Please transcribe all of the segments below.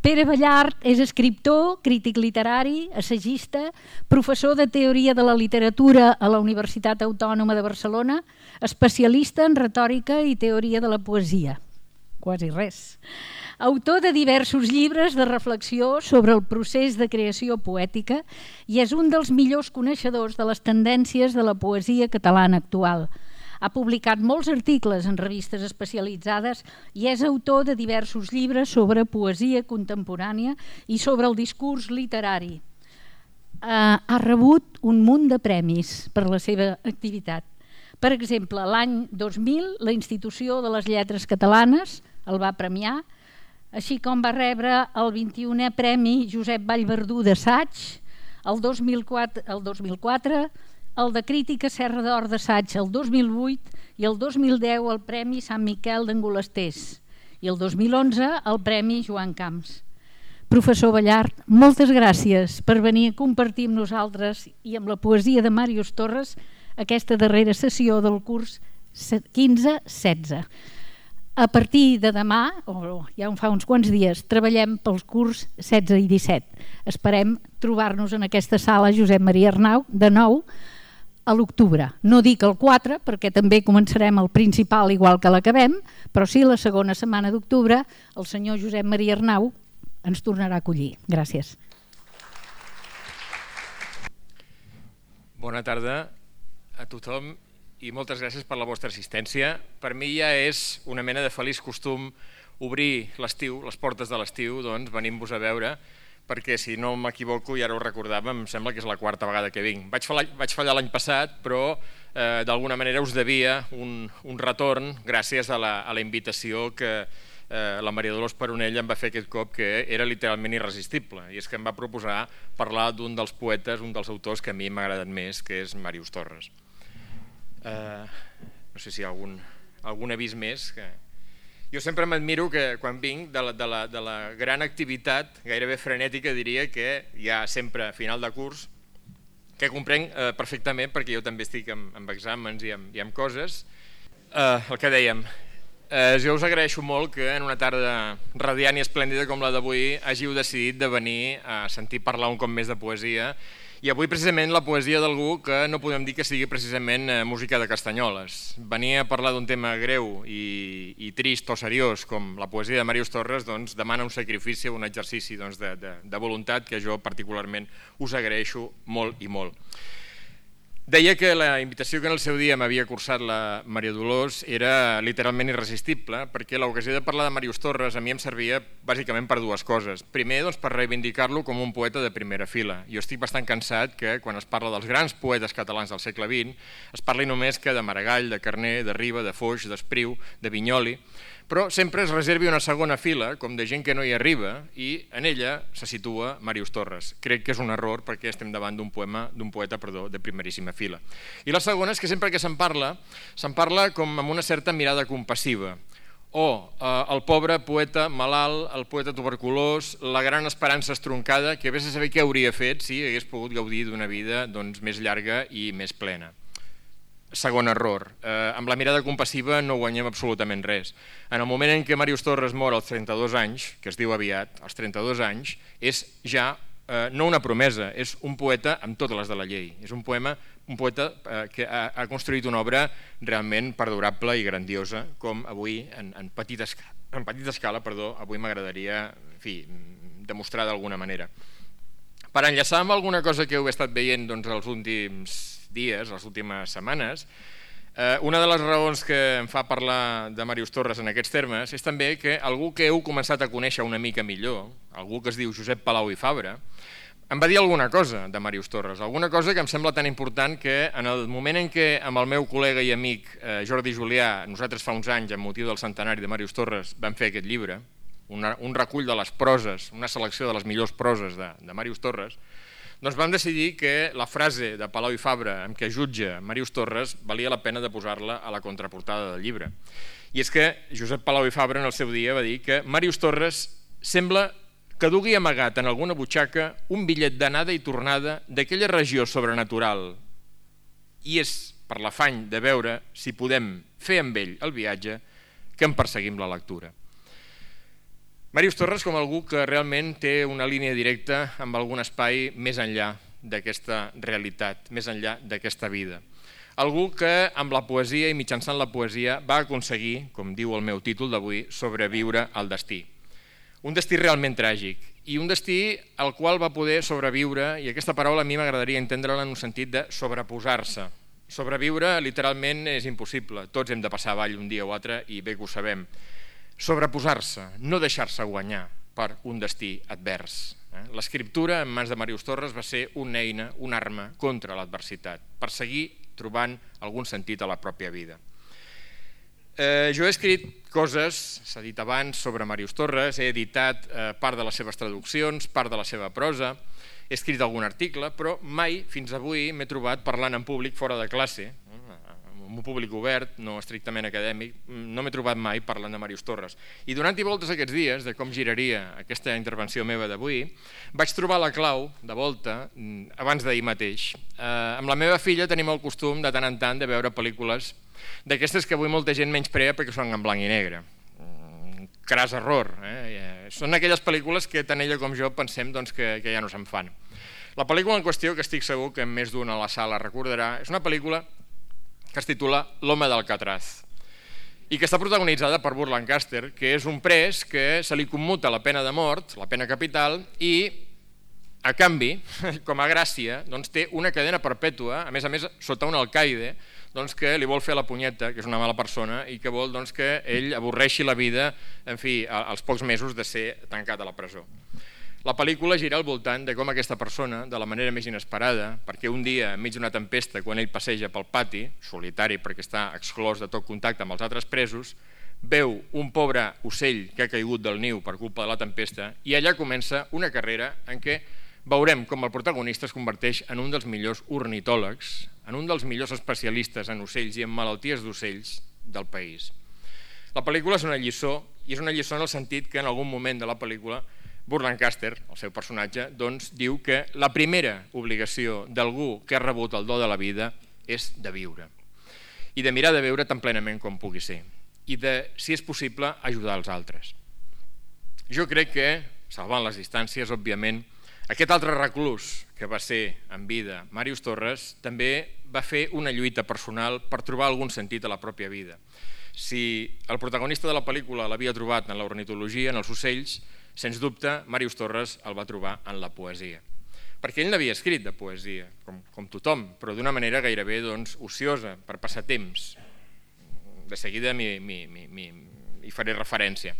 Pere Ballart és escriptor, crític literari, assagista, professor de teoria de la literatura a la Universitat Autònoma de Barcelona, especialista en retòrica i teoria de la poesia. Quasi res. Autor de diversos llibres de reflexió sobre el procés de creació poètica i és un dels millors coneixedors de les tendències de la poesia catalana actual. Ha publicat molts articles en revistes especialitzades i és autor de diversos llibres sobre poesia contemporània i sobre el discurs literari. Ha rebut un munt de premis per la seva activitat. Per exemple, l'any 2000 la Institució de les Lletres Catalanes el va premiar, així com va rebre el 21è Premi Josep Vallverdú d'assaig, el 2004, el de Crítica Serra d'Or d'assaig el 2008 i el 2010 el Premi Sant Miquel d'Angolesters i el 2011 el Premi Joan Camps. Professor Ballart, moltes gràcies per venir a compartir amb nosaltres i amb la poesia de Màrius Torres aquesta darrera sessió del curs 15-16. A partir de demà, o ja fa uns quants dies, treballem pels curs 16 i 17. Esperem trobar-nos en aquesta sala Josep Maria Arnau de nou a l'octubre. No dic el 4 perquè també començarem el principal igual que l'acabem, però sí la segona setmana d'octubre el senyor Josep Maria Arnau ens tornarà a acollir. Gràcies. Bona tarda a tothom i moltes gràcies per la vostra assistència. Per mi ja és una mena de feliç costum obrir l'estiu, les portes de l'estiu, doncs venint-vos a veure, perquè si no m'equivoco, i ara ho recordava, em sembla que és la quarta vegada que vinc. Vaig fallar l'any passat, però d'alguna manera us devia un retorn gràcies a la invitació que la Maria Dolors Peronell em va fer aquest cop, que era literalment irresistible, i és que em va proposar parlar d'un dels poetes, un dels autors que a mi m'ha agradat més, que és Màrius Torres. No sé si hi ha algun avís més. Jo sempre m'admiro que quan vinc de la gran activitat, gairebé frenètica diria, que hi ha sempre a final de curs, que comprenc perfectament perquè jo també estic amb exàmens i amb coses. El que dèiem, jo us agraeixo molt que en una tarda radiant i esplèndida com la d'avui hàgiu decidit de venir a sentir parlar un cop més de poesia, i avui precisament la poesia d'algú que no podem dir que sigui precisament música de castanyoles. Venir a parlar d'un tema greu i trist o seriós com la poesia de Màrius Torres doncs demana un sacrifici, un exercici de voluntat que jo particularment us agraeixo molt i molt. Deia que la invitació que en el seu dia m'havia cursat la Maria Dolors era literalment irresistible, perquè l'ocasió de parlar de Màrius Torres a mi em servia bàsicament per dues coses. Primer, doncs, per reivindicar-lo com un poeta de primera fila. Jo estic bastant cansat que quan es parla dels grans poetes catalans del segle XX es parli només que de Maragall, de Carner, de Riba, de Foix, d'Espriu, de Vinyoli, però sempre es reservi una segona fila, com de gent que no hi arriba, i en ella se situa Màrius Torres. Crec que és un error perquè estem davant d'un poeta de primeríssima fila. I la segona és que sempre que se'n parla com amb una certa mirada compassiva. El pobre poeta malalt, el poeta tuberculós, la gran esperança estroncada, que vés a saber què hauria fet si hagués pogut gaudir d'una vida més llarga i més plena. Segon error, amb la mirada compassiva no guanyem absolutament res. En el moment en què Màrius Torres mor als 32 anys, que es diu aviat, als 32 anys, és ja no una promesa, és un poeta amb totes les de la llei. És un poeta que ha construït una obra realment perdurable i grandiosa, com avui, en petita escala, avui m'agradaria demostrar d'alguna manera. Per enllaçar amb alguna cosa que heu estat veient els últims dies, les últimes setmanes, una de les raons que em fa parlar de Màrius Torres en aquests termes és també que algú que heu començat a conèixer una mica millor, algú que es diu Josep Palau i Fabra, em va dir alguna cosa de Màrius Torres, alguna cosa que em sembla tan important que en el moment en què amb el meu col·lega i amic Jordi Julià, nosaltres fa uns anys, amb motiu del centenari de Màrius Torres, vam fer aquest llibre, un recull de les proses, una selecció de les millors proses de Màrius Torres, doncs vam decidir que la frase de Palau i Fabra amb què jutja Màrius Torres valia la pena de posar-la a la contraportada del llibre. I és que Josep Palau i Fabra en el seu dia va dir que Màrius Torres sembla que dugui amagat en alguna butxaca un bitllet d'anada i tornada d'aquella regió sobrenatural, i és per l'afany de veure si podem fer amb ell el viatge que en perseguim la lectura. Màrius Torres com algú que realment té una línia directa amb algun espai més enllà d'aquesta realitat, més enllà d'aquesta vida. Algú que amb la poesia i mitjançant la poesia va aconseguir, com diu el meu títol d'avui, sobreviure al destí. Un destí realment tràgic i un destí al qual va poder sobreviure, i aquesta paraula a mi m'agradaria entendre-la en un sentit de sobreposar-se. Sobreviure literalment és impossible, tots hem de passar avall un dia o altre i bé que ho sabem. Sobreposar-se, no deixar-se guanyar per un destí advers. L'escriptura en mans de Màrius Torres va ser una eina, una arma contra l'adversitat, per seguir trobant algun sentit a la pròpia vida. Jo he escrit coses, s'ha dit abans, sobre Màrius Torres, he editat part de les seves traduccions, part de la seva prosa, he escrit algun article, però mai fins avui m'he trobat parlant en públic fora de classe, amb un públic obert, no estrictament acadèmic, no m'he trobat mai parlant de Màrius Torres. I donant-hi voltes aquests dies, de com giraria aquesta intervenció meva d'avui, vaig trobar la clau, de volta, abans d'ahir mateix. Amb la meva filla tenim el costum, de tant en tant, de veure pel·lícules d'aquestes que avui molta gent menysprea perquè són en blanc i negre. Cras error. Són aquelles pel·lícules que tant ella com jo pensem que ja no se'n fan. La pel·lícula en qüestió, que estic segur que més d'una a la sala recordarà, és una pel·lícula que es titula L'home d'Alcatraz i que està protagonitzada per Burt Lancaster, que és un pres que se li commuta la pena de mort, la pena capital, i a canvi, com a gràcia, té una cadena perpètua, a més, sota un alcaide, que li vol fer la punyeta, que és una mala persona, i que vol que ell avorreixi la vida, en fi, als pocs mesos de ser tancat a la presó. La pel·lícula gira al voltant de com aquesta persona, de la manera més inesperada, perquè un dia, enmig d'una tempesta, quan ell passeja pel pati, solitari perquè està exclòs de tot contacte amb els altres presos, veu un pobre ocell que ha caigut del niu per culpa de la tempesta i allà comença una carrera en què veurem com el protagonista es converteix en un dels millors ornitòlegs, en un dels millors especialistes en ocells i en malalties d'ocells del país. La pel·lícula és una lliçó, i és una lliçó en el sentit que en algun moment de la pel·lícula Burt Lancaster, el seu personatge, diu que la primera obligació d'algú que ha rebut el do de la vida és de viure i de mirar de veure tan plenament com pugui ser i de, si és possible, ajudar els altres. Jo crec que, salvant les distàncies, òbviament, aquest altre reclús que va ser en vida Màrius Torres també va fer una lluita personal per trobar algun sentit a la pròpia vida. Si el protagonista de la pel·lícula l'havia trobat en l'ornitologia, en els ocells, sens dubte, Màrius Torres el va trobar en la poesia. Perquè ell n'havia escrit de poesia, com tothom, però d'una manera gairebé ociosa, per passar temps. De seguida hi faré referència.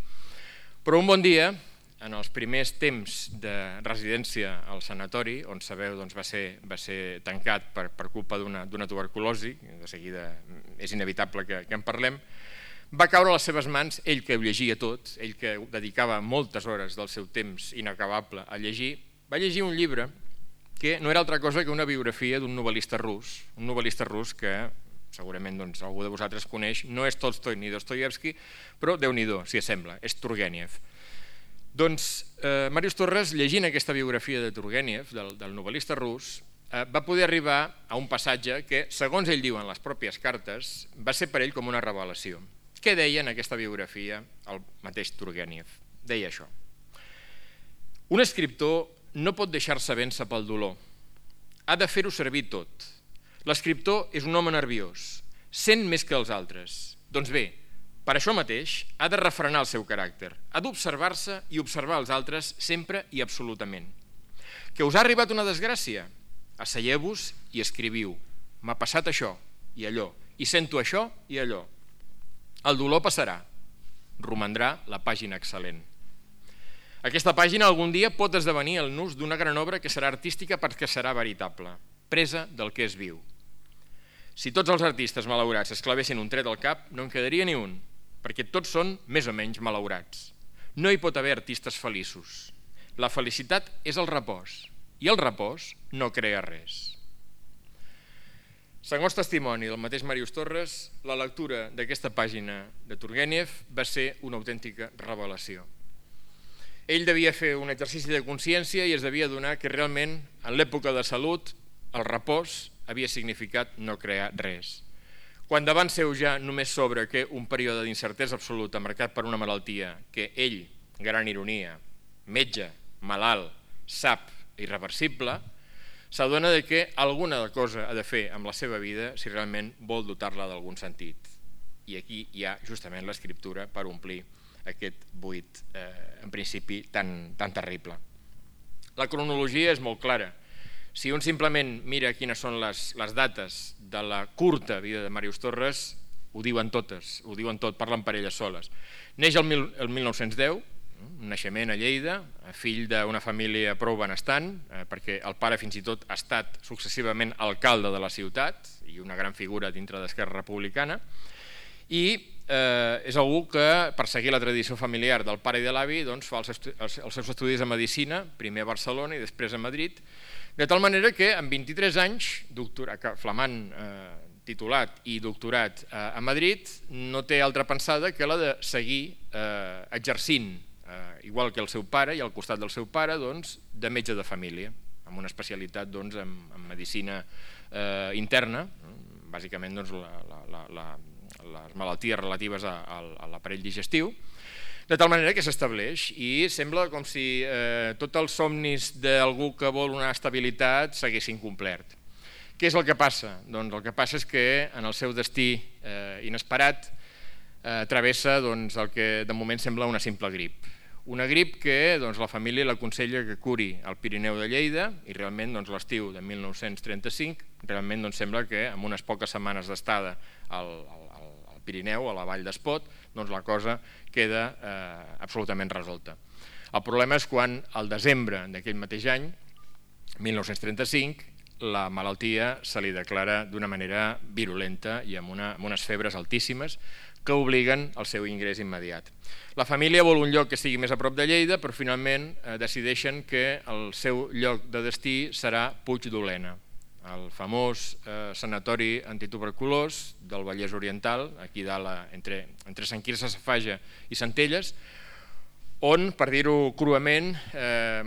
Però un bon dia, en els primers temps de residència al sanatori, on sabeu va ser tancat per culpa d'una tuberculosi, de seguida és inevitable que en parlem, va caure a les seves mans, ell que ho llegia tot, ell que dedicava moltes hores del seu temps inacabable a llegir, va llegir un llibre que no era altra cosa que una biografia d'un novel·lista rus que segurament algú de vosaltres coneix, no és Tolstoi ni Dostoievski, però Déu-n'hi-do, si assembla, és Turgenev. Màrius Torres, llegint aquesta biografia de Turgenev, del novel·lista rus, va poder arribar a un passatge que, segons ell diu en les pròpies cartes, va ser per ell com una revelació. Què deia en aquesta biografia el mateix Turgenev? Deia això. Un escriptor no pot deixar-se vèncer pel dolor. Ha de fer-ho servir tot. L'escriptor és un home nerviós, sent més que els altres. Doncs bé, per això mateix ha de refrenar el seu caràcter, ha d'observar-se i observar els altres sempre i absolutament. Que us ha arribat una desgràcia? Asseieu-vos i escriviu. M'ha passat això i allò, i sento això i allò. El dolor passarà, romandrà la pàgina excel·lent. Aquesta pàgina algun dia pot esdevenir el nus d'una gran obra que serà artística perquè serà veritable, presa del que és viu. Si tots els artistes malaurats es clavessin un tret al cap, no en quedaria ni un, perquè tots són més o menys malaurats. No hi pot haver artistes feliços. La felicitat és el repòs, i el repòs no crea res. Segons testimoni del mateix Màrius Torres, la lectura d'aquesta pàgina de Turgenev va ser una autèntica revelació. Ell devia fer un exercici de consciència i es devia adonar que realment, en l'època de salut, el repòs havia significat no crear res. Quan davant seu ja només s'obre que un període d'incertesa absoluta marcat per una malaltia que ell gran ironia, metge, malalt, sap irreversible, s'adona que alguna cosa ha de fer amb la seva vida si realment vol dotar-la d'algun sentit. I aquí hi ha justament l'escriptura per omplir aquest buit, en principi, tan terrible. La cronologia és molt clara. Si un simplement mira quines són les dates de la curta vida de Màrius Torres, ho diuen totes, ho diuen tot, parlen per elles soles. Neix el 1910, un naixement a Lleida, fill d'una família prou benestant, perquè el pare fins i tot ha estat successivament alcalde de la ciutat i una gran figura dintre d'Esquerra Republicana, i és algú que, per seguir la tradició familiar del pare i de l'avi, fa els seus estudis de Medicina, primer a Barcelona i després a Madrid, de tal manera que amb 23 anys, flamant titulat i doctorat a Madrid, no té altra pensada que la de seguir exercint, igual que el seu pare i al costat del seu pare, de metge de família, amb una especialitat en medicina interna, bàsicament les malalties relatives a l'aparell digestiu, de tal manera que s'estableix i sembla com si tots els somnis d'algú que vol una estabilitat s'haguessin complert. Què és el que passa? Doncs el que passa és que en el seu destí inesperat travessa el que de moment sembla una simple grip. Una grip que la família l'aconsella que curi al Pirineu de Lleida i realment l'estiu de 1935 realment sembla que amb unes poques setmanes d'estada al Pirineu, a la vall d'Espot, la cosa queda absolutament resolta. El problema és quan al desembre d'aquell mateix any, 1935, la malaltia se li declara d'una manera virulenta i amb unes febres altíssimes que obliguen al seu ingrés immediat. La família vol un lloc que estigui més a prop de Lleida, però finalment decideixen que el seu lloc de destí serà Puig d'Olena, el famós sanatori antituberculós del Vallès Oriental, aquí dalt entre Sant Quirze Safaja i Centelles, on, per dir-ho cruament,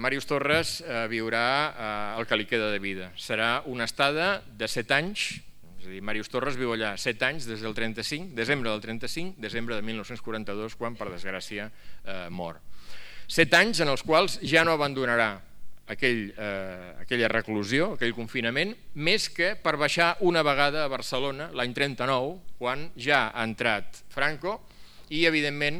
Màrius Torres viurà el que li queda de vida. Serà una estada de 7 anys, és a dir, Màrius Torres viu allà 7 anys des del 35, desembre del 35, desembre de 1942, quan, per desgràcia, mor. 7 anys en els quals ja no abandonarà aquella reclusió, aquell confinament, més que per baixar una vegada a Barcelona l'any 39, quan ja ha entrat Franco i, evidentment,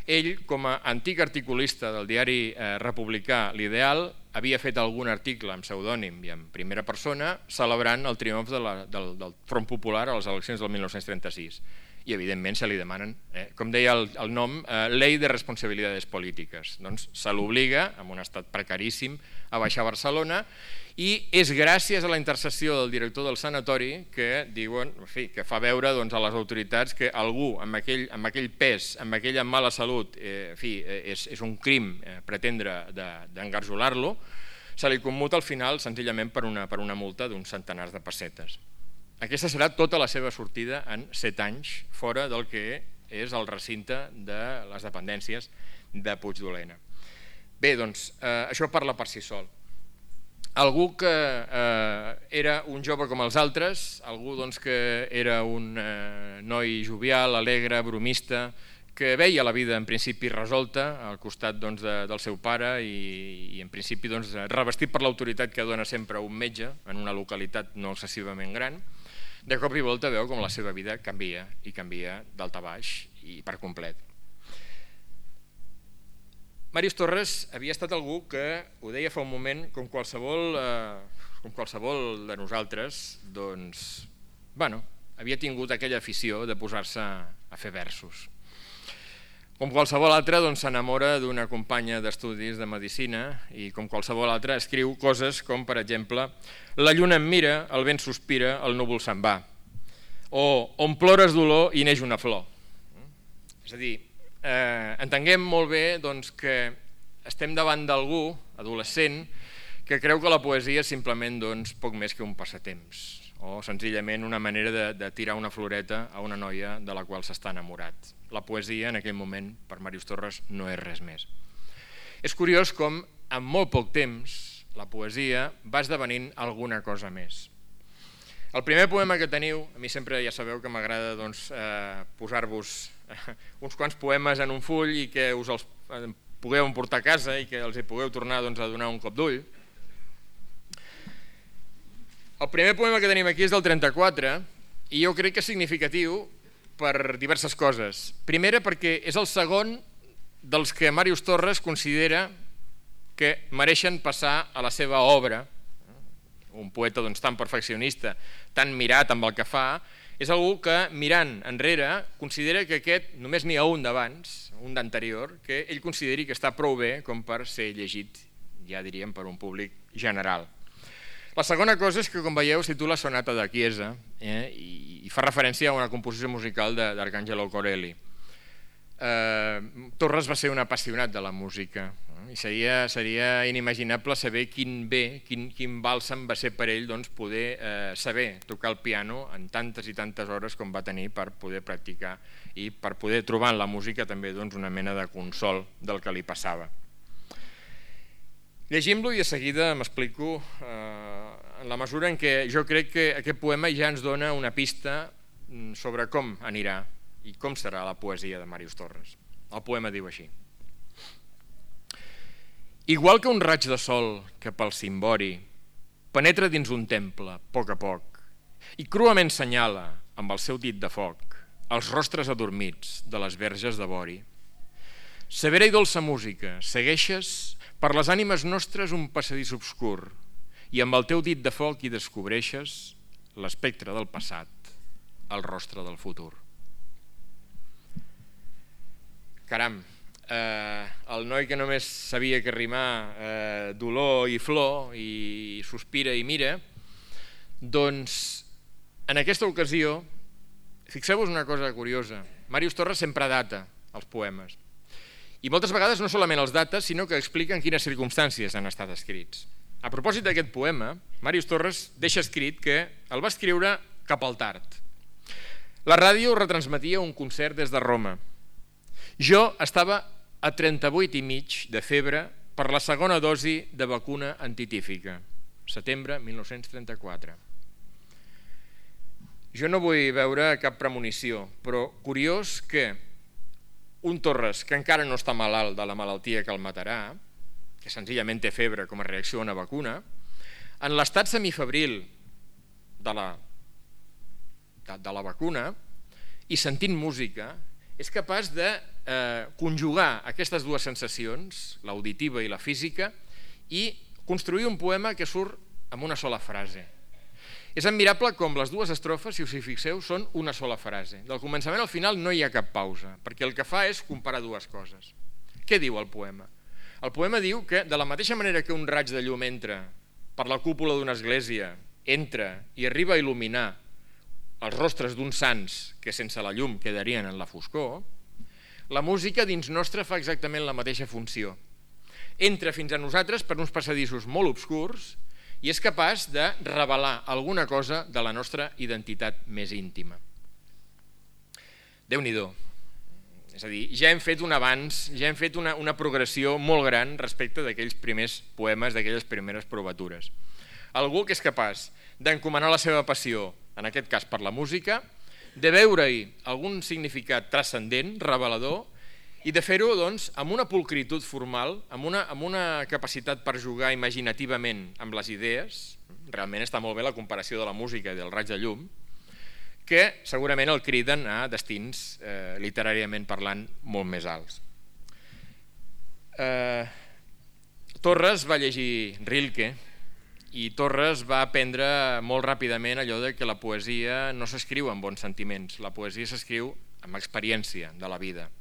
ell, com a antic articulista del diari republicà L'Ideal, havia fet algun article amb pseudònim i en primera persona celebrant el triomf del Front Popular a les eleccions del 1936. I, evidentment, se li demanen, com deia el nom, Ley de Responsabilidades Polítiques. Doncs se l'obliga, en un estat precaríssim, a baixar a Barcelona i és gràcies a la intercessió del director del sanatori que diuen, que fa veure a les autoritats que algú amb aquell pes, amb aquella mala salut, és un crim pretendre d'engarjolar-lo, se li commuta al final senzillament per una multa d'uns centenars de pessetes. Aquesta serà tota la seva sortida en 7 anys fora del que és el recinte de les dependències de Puig d'Olena. Bé, doncs, això parla per si sol. Algú que era un jove com els altres, algú que era un noi jovial, alegre, bromista, que veia la vida en principi resolta al costat del seu pare i en principi revestit per l'autoritat que dona sempre un metge en una localitat no excessivament gran, de cop i volta veu com la seva vida canvia i canvia d'alt a baix i per complet. Màrius Torres havia estat algú que, ho deia fa un moment, com qualsevol de nosaltres, havia tingut aquella afició de posar-se a fer versos. Com qualsevol altre, s'enamora d'una companya d'estudis de medicina i com qualsevol altre escriu coses com, per exemple, la lluna em mira, el vent sospira, el núvol se'n va, o on plores dolor i neix una flor. És a dir, entenguem molt bé que estem davant d'algú, adolescent, que creu que la poesia és simplement poc més que un passatemps o senzillament una manera de tirar una floreta a una noia de la qual s'està enamorat. La poesia en aquell moment per Màrius Torres no és res més. És curiós com en molt poc temps la poesia va esdevenint alguna cosa més. El primer poema que teniu, a mi sempre ja sabeu que m'agrada posar-vos uns quants poemes en un full i que us els pugueu emportar a casa i que els hi pugueu tornar a donar un cop d'ull. El primer poema que tenim aquí és del 34 i jo crec que és significatiu per diverses coses. Primera, perquè és el segon dels que Màrius Torres considera que mereixen passar a la seva obra. Un poeta tan perfeccionista, tan mirat amb el que fa, és algú que, mirant enrere, considera que aquest només n'hi ha un d'abans, un d'anterior, que ell consideri que està prou bé com per ser llegit, ja diríem, per un públic general. La segona cosa és que, com veieu, es titula Sonata de Chiesa i fa referència a una composició musical d'Arcangelo Corelli. Torres va ser un apassionat de la música i seria inimaginable saber quin bàlsam va ser per ell poder saber tocar el piano en tantes i tantes hores com va tenir per poder practicar i per poder trobar en la música també una mena de consol del que li passava. Llegim-lo i de seguida m'explico en la mesura en què jo crec que aquest poema ja ens dona una pista sobre com anirà i com serà la poesia de Màrius Torres. El poema diu així: igual que un raig de sol que pel cimbori penetra dins un temple, a poc, i cruament senyala amb el seu dit de foc els rostres adormits de les verges de vori. Severa i dolça música, segueixes per les ànimes nostres un passadís obscur i amb el teu dit de foc hi descobreixes l'espectre del passat, el rostre del futur. Caram, el noi que només sabia que rimar dolor i flor i sospira i mira, doncs en aquesta ocasió, fixeu-vos una cosa curiosa, Màrius Torres sempre data els poemes i moltes vegades no solament els dates, sinó que explica en quines circumstàncies han estat escrits. A propòsit d'aquest poema, Màrius Torres deixa escrit que el va escriure cap al tard. La ràdio retransmetia un concert des de Roma. Jo estava a 38,5 de febre per la segona dosi de vacuna antitífica, setembre 1934. Jo no vull veure cap premonició, però curiós que un Torres que encara no està malalt de la malaltia que el matarà, que senzillament té febre com a reacció a una vacuna, en l'estat semifebril de la vacuna i sentint música, és capaç de conjugar aquestes dues sensacions, l'auditiva i la física, i construir un poema que surt amb una sola frase. És admirable com les dues estrofes, si us hi fixeu, són una sola frase. Del començament al final no hi ha cap pausa, perquè el que fa és comparar dues coses. Què diu el poema? El poema diu que, de la mateixa manera que un raig de llum entra per la cúpula d'una església, entra i arriba a il·luminar els rostres d'uns sants que sense la llum quedarien en la foscor, la música dins nostre fa exactament la mateixa funció. Entra fins a nosaltres per uns passadissos molt obscurs i és capaç de revelar alguna cosa de la nostra identitat més íntima. Déu-n'hi-do. És a dir, ja hem fet un avanç, ja hem fet una progressió molt gran respecte d'aquells primers poemes, d'aquelles primeres provatures. Algú que és capaç d'encomanar la seva passió, en aquest cas per la música, de veure-hi algun significat transcendent, revelador, i de fer-ho amb una pulcritud formal, amb una capacitat per jugar imaginativament amb les idees, realment està molt bé la comparació de la música i del raig de llum, que segurament el criden a destins, literàriament parlant, molt més alts. Torres va llegir Rilke, i Torres va aprendre molt ràpidament allò de que la poesia no s'escriu amb bons sentiments, la poesia s'escriu amb experiència de la vida.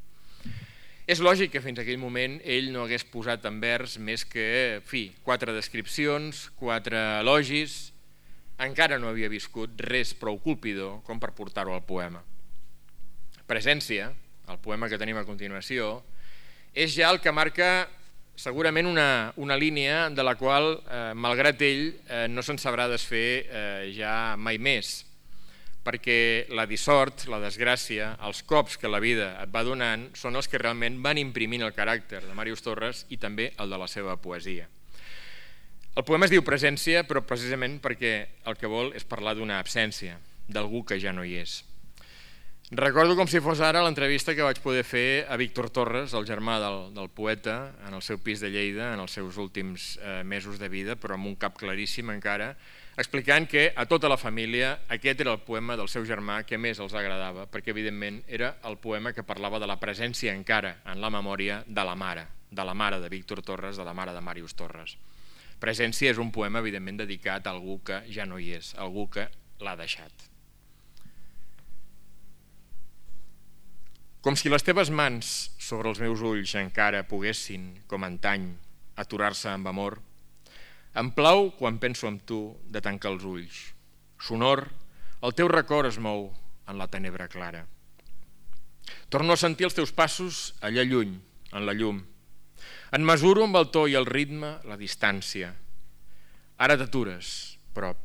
És lògic que fins a aquell moment ell no hagués posat en vers més que 4 descripcions, 4 elogis, encara no havia viscut res prou colpidor com per portar-ho al poema. Presència, el poema que tenim a continuació, és ja el que marca segurament una línia de la qual, malgrat ell, no se'n sabrà desfer ja mai més, perquè la dissort, la desgràcia, els cops que la vida et va donant són els que realment van imprimint el caràcter de Màrius Torres i també el de la seva poesia. El poema es diu Presència, però precisament perquè el que vol és parlar d'una absència, d'algú que ja no hi és. Recordo com si fos ara l'entrevista que vaig poder fer a Víctor Torres, el germà del poeta, en el seu pis de Lleida, en els seus últims mesos de vida, però amb un cap claríssim encara, explicant que a tota la família aquest era el poema del seu germà que més els agradava, perquè evidentment era el poema que parlava de la presència encara en la memòria de la mare de Víctor Torres, de la mare de Màrius Torres. Presència és un poema evidentment dedicat a algú que ja no hi és, a algú que l'ha deixat. Com si les teves mans sobre els meus ulls encara poguessin, com antany, aturar-se amb amor, em plau, quan penso en tu, de tancar els ulls. Sonor, el teu record es mou en la tenebra clara. Torno a sentir els teus passos allà lluny, en la llum. En mesuro amb el to i el ritme la distància. Ara t'atures, prop.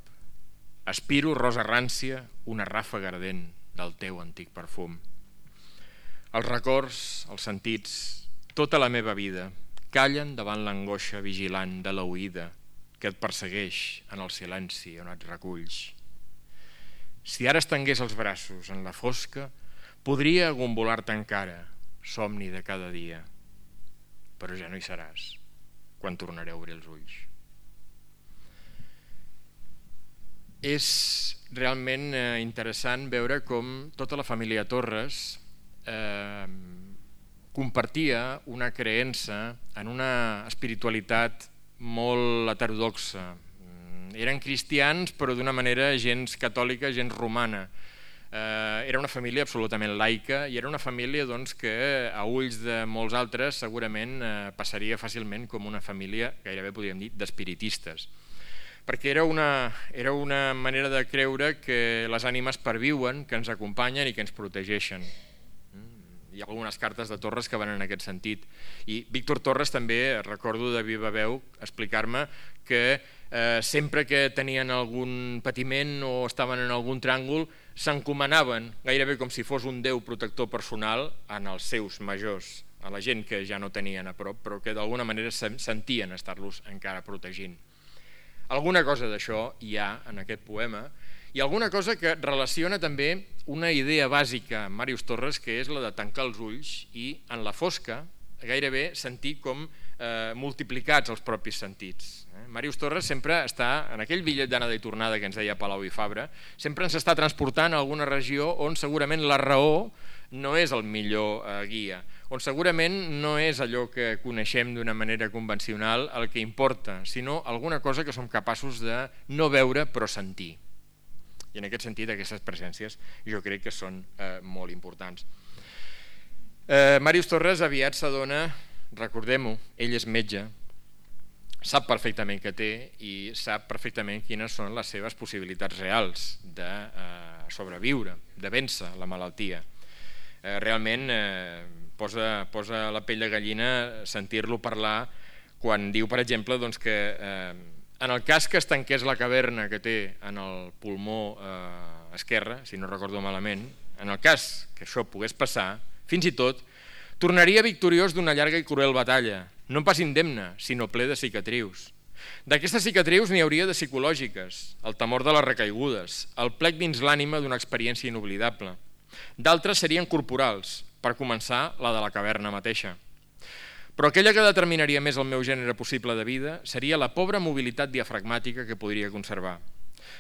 Aspiro, rosa rància, una ràfaga ardent del teu antic perfum. Els records, els sentits, tota la meva vida, callen davant l'angoixa vigilant de l'oïda que et persegueix en el silenci on et reculls. Si ara estengués els braços en la fosca, podria agombolar-te encara, somni de cada dia. Però ja no hi seràs, quan tornaré a obrir els ulls. És realment interessant veure com tota la família Torres compartia una creença en una espiritualitat molt heterodoxa. Eren cristians però d'una manera gens catòlica, gens romana. Era una família absolutament laica i era una família que a ulls de molts altres segurament passaria fàcilment com una família, gairebé podríem dir, d'espiritistes. Perquè era una manera de creure que les ànimes perviuen, que ens acompanyen i que ens protegeixen. Hi ha algunes cartes de Torres que van en aquest sentit. I Víctor Torres també, recordo de viva veu, explicar-me que sempre que tenien algun patiment o estaven en algun tràngol, s'encomanaven, gairebé com si fos un déu protector personal, en els seus majors, a la gent que ja no tenien a prop, però que d'alguna manera sentien estar-los encara protegint. Alguna cosa d'això hi ha en aquest poema, i alguna cosa que relaciona també una idea bàsica amb Màrius Torres, que és la de tancar els ulls i en la fosca gairebé sentir com multiplicats els propis sentits. Màrius Torres sempre està, en aquell bitllet d'anada i tornada que ens deia Palau i Fabra, sempre ens està transportant a alguna regió on segurament la raó no és el millor guia, on segurament no és allò que coneixem d'una manera convencional el que importa, sinó alguna cosa que som capaços de no veure però sentir. I en aquest sentit aquestes presències jo crec que són molt importants. Màrius Torres aviat s'adona, recordem-ho, ell és metge, sap perfectament què té i sap perfectament quines són les seves possibilitats reals de sobreviure, de vèncer la malaltia. Realment posa la pell de gallina sentir-lo parlar quan diu, per exemple, que en el cas que es tanqués la caverna que té en el pulmó esquerre, si no recordo malament, en el cas que això pogués passar, fins i tot, tornaria victoriós d'una llarga i cruel batalla, no pas indemne, sinó ple de cicatrius. D'aquestes cicatrius n'hi hauria de psicològiques, el temor de les recaigudes, el plec dins l'ànima d'una experiència inoblidable. D'altres serien corporals, per començar la de la caverna mateixa. Però aquella que determinaria més el meu gènere possible de vida seria la pobra mobilitat diafragmàtica que podria conservar.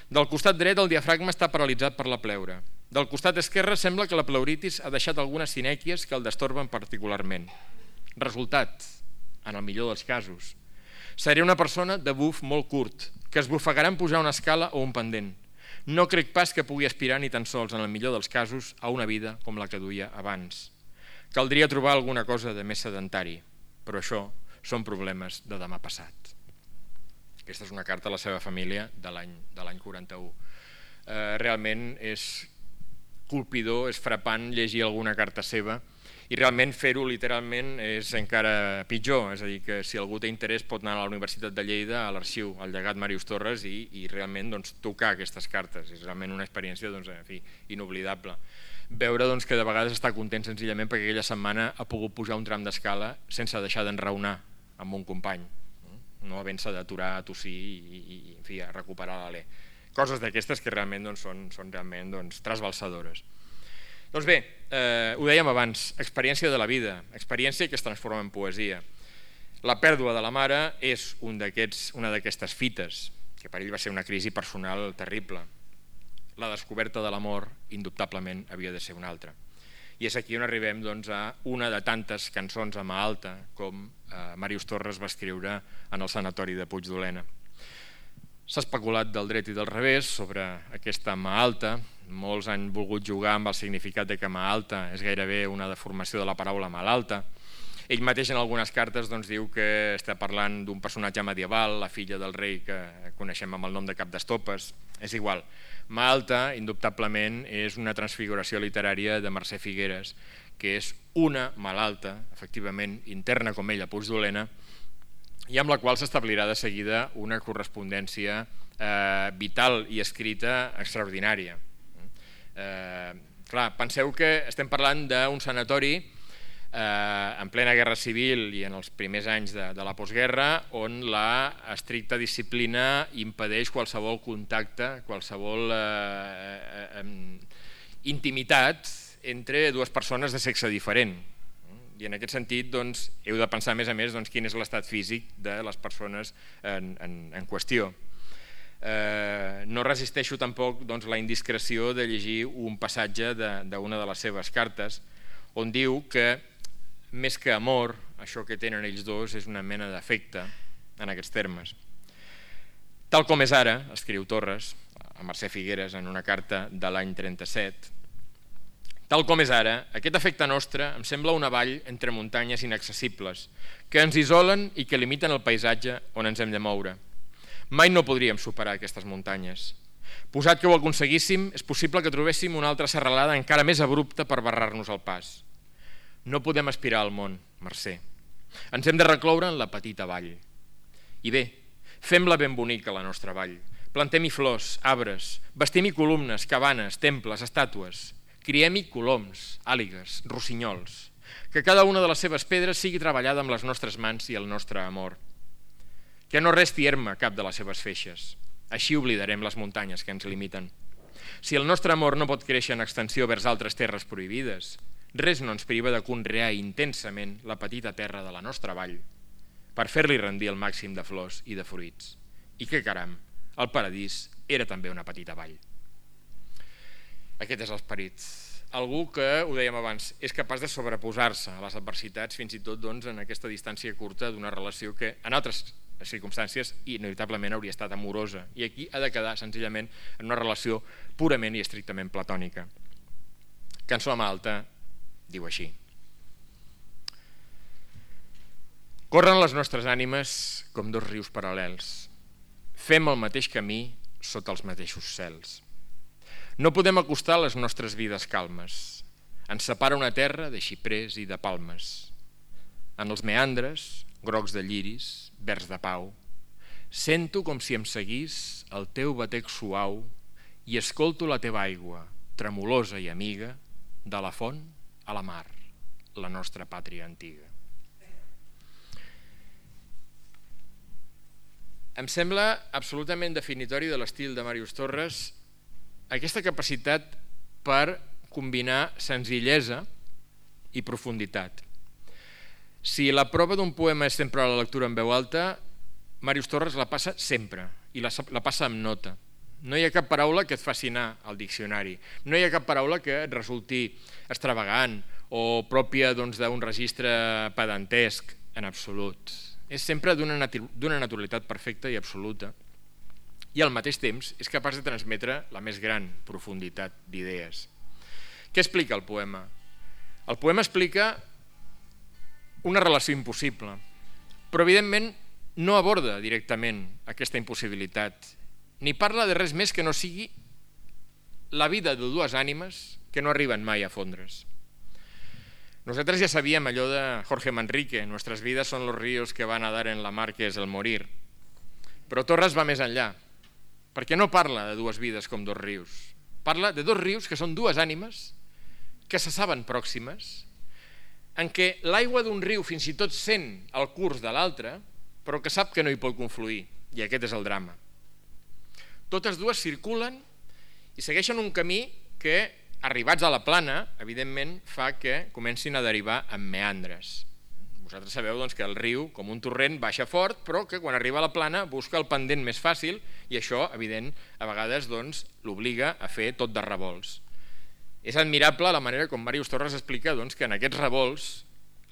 Del costat dret el diafragma està paralitzat per la pleura. Del costat esquerre sembla que la pleuritis ha deixat algunes sinèquies que el destorben particularment. Resultat, en el millor dels casos, seré una persona de buf molt curt, que es bufegarà en pujar una escala o un pendent. No crec pas que pugui aspirar ni tan sols, en el millor dels casos, a una vida com la que duia abans. Caldria trobar alguna cosa de més sedentari. Però això són problemes de demà passat. Aquesta és una carta a la seva família de l'any 41. Realment és colpidor, és frapant llegir alguna carta seva i realment fer-ho literalment és encara pitjor, és a dir, que si algú té interès pot anar a la Universitat de Lleida, a l'arxiu, al llegat Màrius Torres i realment tocar aquestes cartes. És realment una experiència inoblidable. Veure que de vegades està content senzillament perquè aquella setmana ha pogut pujar un tram d'escala sense deixar d'enraonar amb un company, no havent-se d'aturar a tossir i a recuperar l'alè. Coses d'aquestes que realment són realment trasbalsadores. Doncs bé, ho dèiem abans, experiència de la vida, experiència que es transforma en poesia. La pèrdua de la mare és una d'aquestes fites, que per ell va ser una crisi personal terrible. La descoberta de l'amor, indubtablement, havia de ser una altra. I és aquí on arribem a una de tantes cançons a mà alta com Màrius Torres va escriure en el sanatori de Puigdolena. S'ha especulat del dret i del revés sobre aquesta mà alta. Molts han volgut jugar amb el significat de que mà alta és gairebé una deformació de la paraula malalta. Ell mateix en algunes cartes diu que està parlant d'un personatge medieval, la filla del rei que coneixem amb el nom de Cap d'Estopes. És igual. Mà alta, indubtablement, és una transfiguració literària de Mercè Figueres, que és una malalta, efectivament, interna com ella, Puigdolena, i amb la qual s'establirà de seguida una correspondència vital i escrita extraordinària. Clar, penseu que estem parlant d'un sanatori en plena guerra civil i en els primers anys de la postguerra, on la estricta disciplina impedeix qualsevol contacte, qualsevol intimitat entre dues persones de sexe diferent. I en aquest sentit heu de pensar a més quin és l'estat físic de les persones en qüestió. No resisteixo tampoc la indiscreció de llegir un passatge d'una de les seves cartes on diu que més que amor, això que tenen ells dos és una mena d'afecte en aquests termes. Tal com és ara, escriu Torres a Mercè Figueres en una carta de l'any 37, tal com és ara, aquest afecte nostre em sembla una vall entre muntanyes inaccessibles que ens isolen i que limiten el paisatge on ens hem de moure. Mai no podríem superar aquestes muntanyes. Posat que ho aconseguíssim, és possible que trobéssim una altra serralada encara més abrupta per barrar-nos el pas. No podem aspirar al món, Mercè. Ens hem de recloure en la petita vall. I bé, fem-la ben bonica, la nostra vall. Plantem-hi flors, arbres, bastim-hi columnes, cabanes, temples, estàtues. Criem-hi coloms, àligues, rossinyols. Que cada una de les seves pedres sigui treballada amb les nostres mans i el nostre amor. Que no resti erma cap de les seves feixes. Així oblidarem les muntanyes que ens limiten. Si el nostre amor no pot créixer en extensió vers altres terres prohibides, res no ens priva de conrear intensament la petita terra de la nostra vall per fer-li rendir el màxim de flors i de fruits. I que caram, el paradís era també una petita vall. Aquest és l'esperit. Algú que, ho dèiem abans, és capaç de sobreposar-se a les adversitats, fins i tot en aquesta distància curta d'una relació que en altres circumstàncies inevitablement hauria estat amorosa, i aquí ha de quedar senzillament en una relació purament i estrictament platònica. Cançó a mà alta diu així: corren les nostres ànimes com dos rius paral·lels, fem el mateix camí sota els mateixos cels. No podem acostar les nostres vides calmes, ens separa una terra de xiprers i de palmes. En els meandres, grocs de lliris, verds de pau, sento com si em seguís el teu batec suau i escolto la teva aigua, tremolosa i amiga, de la font a la mar, la nostra pàtria antiga. Em sembla absolutament definitori de l'estil de Màrius Torres aquesta capacitat per combinar senzillesa i profunditat. Si la prova d'un poema és sempre la lectura en veu alta, Màrius Torres la passa sempre, i la passa amb nota. No hi ha cap paraula que et faci anar al diccionari, no hi ha cap paraula que et resulti extravagant o pròpia d'un registre pedantesc, en absolut. És sempre d'una naturalitat perfecta i absoluta, i al mateix temps és capaç de transmetre la més gran profunditat d'idees. Què explica el poema? El poema explica una relació impossible, però evidentment no aborda directament aquesta impossibilitat, ni parla de res més que no sigui la vida de dues ànimes que no arriben mai a fondre's. Nosaltres ja sabíem allò de Jorge Manrique, nuestras vidas son los ríos que van a dar en la mar que es el morir, però Torres va més enllà, perquè no parla de dues vides com dos rius, parla de dos rius que són dues ànimes que se saben pròximes, en què l'aigua d'un riu fins i tot sent el curs de l'altre, però que sap que no hi pot confluir, i aquest és el drama. Totes dues circulen i segueixen un camí que arribats a la plana, evidentment, fa que comencin a derivar en meandres. Vosaltres sabeu doncs, que el riu, com un torrent, baixa fort, però que quan arriba a la plana busca el pendent més fàcil i això, evident, a vegades doncs, l'obliga a fer tot de revolts. És admirable la manera com Màrius Torres explica doncs, que en aquests revolts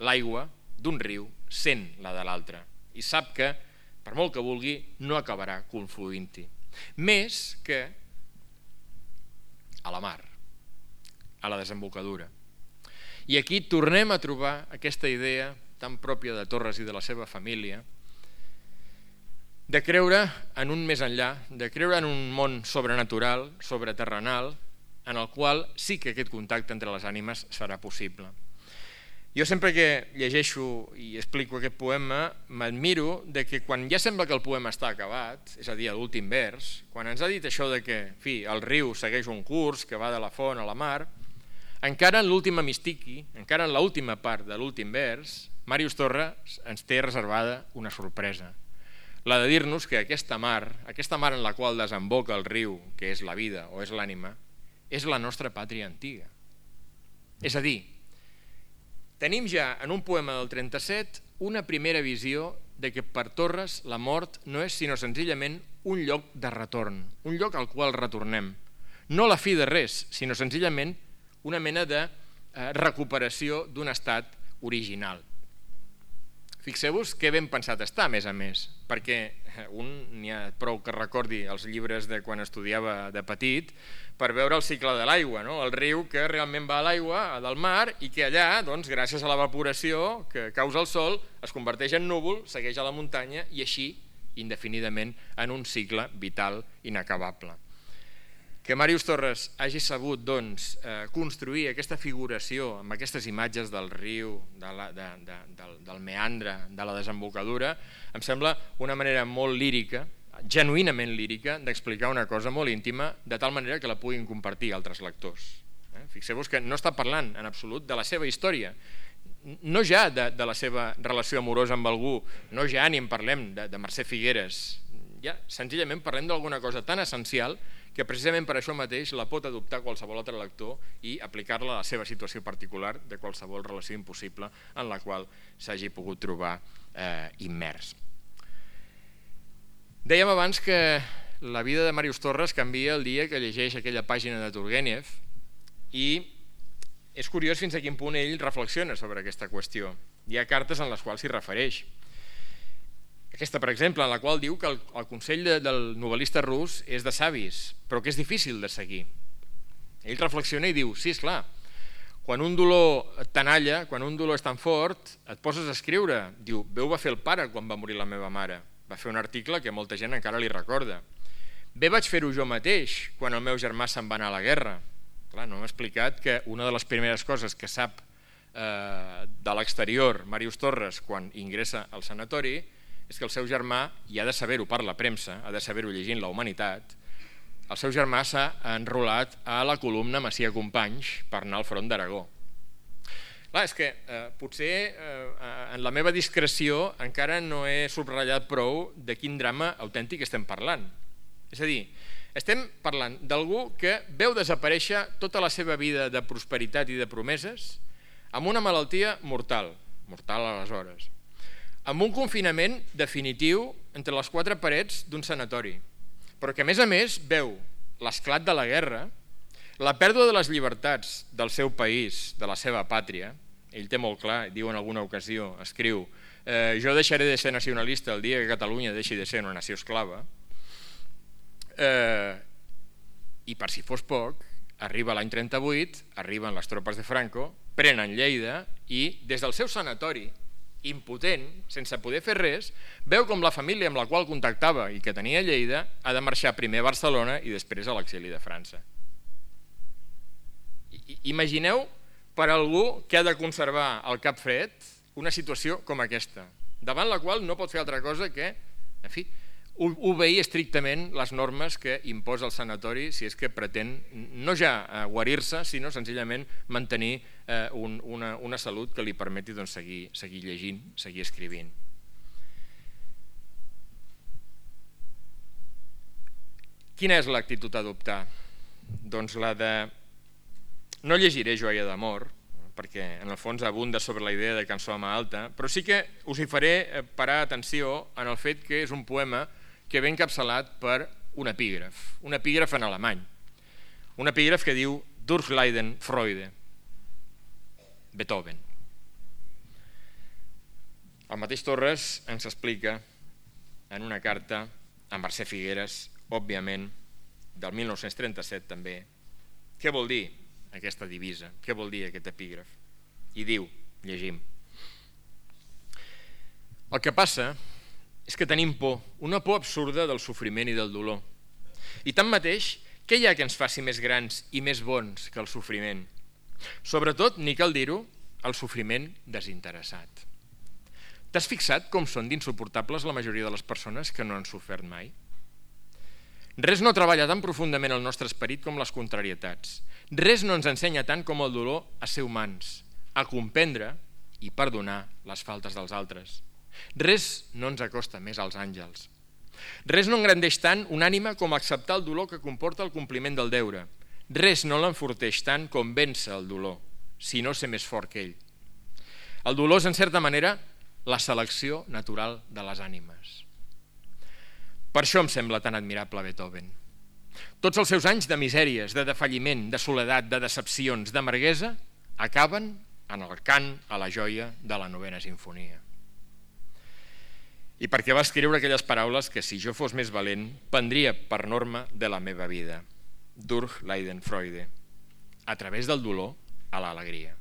l'aigua d'un riu sent la de l'altre i sap que, per molt que vulgui, no acabarà confluint-hi. Més que a la mar, a la desembocadura. I aquí tornem a trobar aquesta idea tan pròpia de Torres i de la seva família de creure en un més enllà, de creure en un món sobrenatural, sobreterrenal, en el qual sí que aquest contacte entre les ànimes serà possible. Jo sempre que llegeixo i explico aquest poema m'admiro de que quan ja sembla que el poema està acabat, és a dir, a l'últim vers, quan ens ha dit això de que el riu segueix un curs que va de la font a la mar, encara en l'últim hemistiqui, encara en l'última part de l'últim vers, Màrius Torres ens té reservada una sorpresa, la de dir-nos que aquesta mar en la qual desemboca el riu, que és la vida o és l'ànima, és la nostra pàtria antiga. És a dir, tenim ja en un poema del 37 una primera visió de que per Torres la mort no és sinó senzillament un lloc de retorn, un lloc al qual retornem. No la fi de res, sinó senzillament una mena de recuperació d'un estat original. Fixeu-vos que ben pensat està, a més, perquè un n'hi ha prou que recordi els llibres de quan estudiava de petit per veure el cicle de l'aigua, el riu que realment va a l'aigua del mar i que allà, gràcies a l'evaporació que causa el sol, es converteix en núvol, segueix a la muntanya i així, indefinidament, en un cicle vital inacabable. Que Màrius Torres hagi sabut construir aquesta figuració amb aquestes imatges del riu, del meandre, de la desembocadura, em sembla una manera molt lírica, genuïnament lírica, d'explicar una cosa molt íntima, de tal manera que la puguin compartir altres lectors. Fixeu-vos que no està parlant en absolut de la seva història, no ja de la seva relació amorosa amb algú, no ja ni en parlem de Mercè Figueres, ja senzillament parlem d'alguna cosa tan essencial que precisament per això mateix la pot adoptar qualsevol altre lector i aplicar-la a la seva situació particular de qualsevol relació impossible en la qual s'hagi pogut trobar immers. Dèiem abans que la vida de Màrius Torres canvia el dia que llegeix aquella pàgina de Turgenev i és curiós fins a quin punt ell reflexiona sobre aquesta qüestió. Hi ha cartes en les quals s'hi refereix. Aquesta, per exemple, en la qual diu que el consell del novel·lista rus és de savis, però que és difícil de seguir. Ell reflexiona i diu, sí, esclar, quan un dolor et tenalla, quan un dolor és tan fort, et poses a escriure. Diu, bé ho va fer el pare quan va morir la meva mare. Va fer un article que molta gent encara li recorda. Bé vaig fer-ho jo mateix quan el meu germà se'n va anar a la guerra. Clar, no m'ha explicat que una de les primeres coses que sap de l'exterior Màrius Torres quan ingressa al sanatori és que el seu germà, i ha de saber-ho per la premsa, ha de saber-ho llegint La Humanitat, el seu germà s'ha enrolat a la columna Macià Companys per anar al front d'Aragó. Clar, és que potser en la meva discreció encara no he subratllat prou de quin drama autèntic estem parlant. És a dir, estem parlant d'algú que veu desaparèixer tota la seva vida de prosperitat i de promeses amb una malaltia mortal aleshores, amb un confinament definitiu entre les quatre parets d'un sanatori, però que a més veu l'esclat de la guerra, la pèrdua de les llibertats del seu país, de la seva pàtria. Ell té molt clar, diu en alguna ocasió, escriu, jo deixaré de ser nacionalista el dia que Catalunya deixi de ser una nació esclava, i per si fos poc, arriba l'any 38, arriben les tropes de Franco, prenen Lleida i des del seu sanatori, impotent, sense poder fer res, veu com la família amb la qual contactava i que tenia a Lleida ha de marxar primer a Barcelona i després a l'exili de França. Imagineu per algú que ha de conservar el cap fred una situació com aquesta, davant la qual no pot fer altra cosa que, en fi, obeir estrictament les normes que imposa el sanatori si és que pretén no ja guarir-se, sinó senzillament mantenir una salut que li permeti seguir llegint, seguir escrivint. Quina és l'actitud a adoptar? Doncs la de No llegiré Joia d'amor, perquè en el fons abunda sobre la idea de cançó amb alta, però sí que us hi faré parar atenció en el fet que és un poema que ve encapçalat per un epígraf en alemany, un epígraf que diu Durchleiden Freude, Beethoven. El mateix Torres ens explica en una carta a Mercè Figueres, òbviament, del 1937 també, què vol dir aquesta divisa, què vol dir aquest epígraf. I diu, llegim: el que passa és que tenim por, una por absurda del sofriment i del dolor. I tanmateix, què hi ha que ens faci més grans i més bons que el sofriment? Sobretot, ni cal dir-ho, el sofriment desinteressat. T'has fixat com són d'insuportables la majoria de les persones que no han sofert mai? Res no treballa tan profundament el nostre esperit com les contrarietats. Res no ens ensenya tant com el dolor a ser humans, a comprendre i perdonar les faltes dels altres. Res no ens acosta més als àngels. Res no engrandeix tant una ànima com acceptar el dolor que comporta el compliment del deure. Res no l'enforteix tant com vèncer el dolor, sinó ser més fort que ell. El dolor és, en certa manera, la selecció natural de les ànimes. Per això em sembla tan admirable Beethoven. Tots els seus anys de misèries, de defalliment, de soledat, de decepcions, d'amarguesa, acaben en el cant a la joia de la 9a Simfonia. I perquè va escriure aquelles paraules que, si jo fos més valent, prendria per norma de la meva vida. Durchleiden Freude, a través del dolor a l'alegria.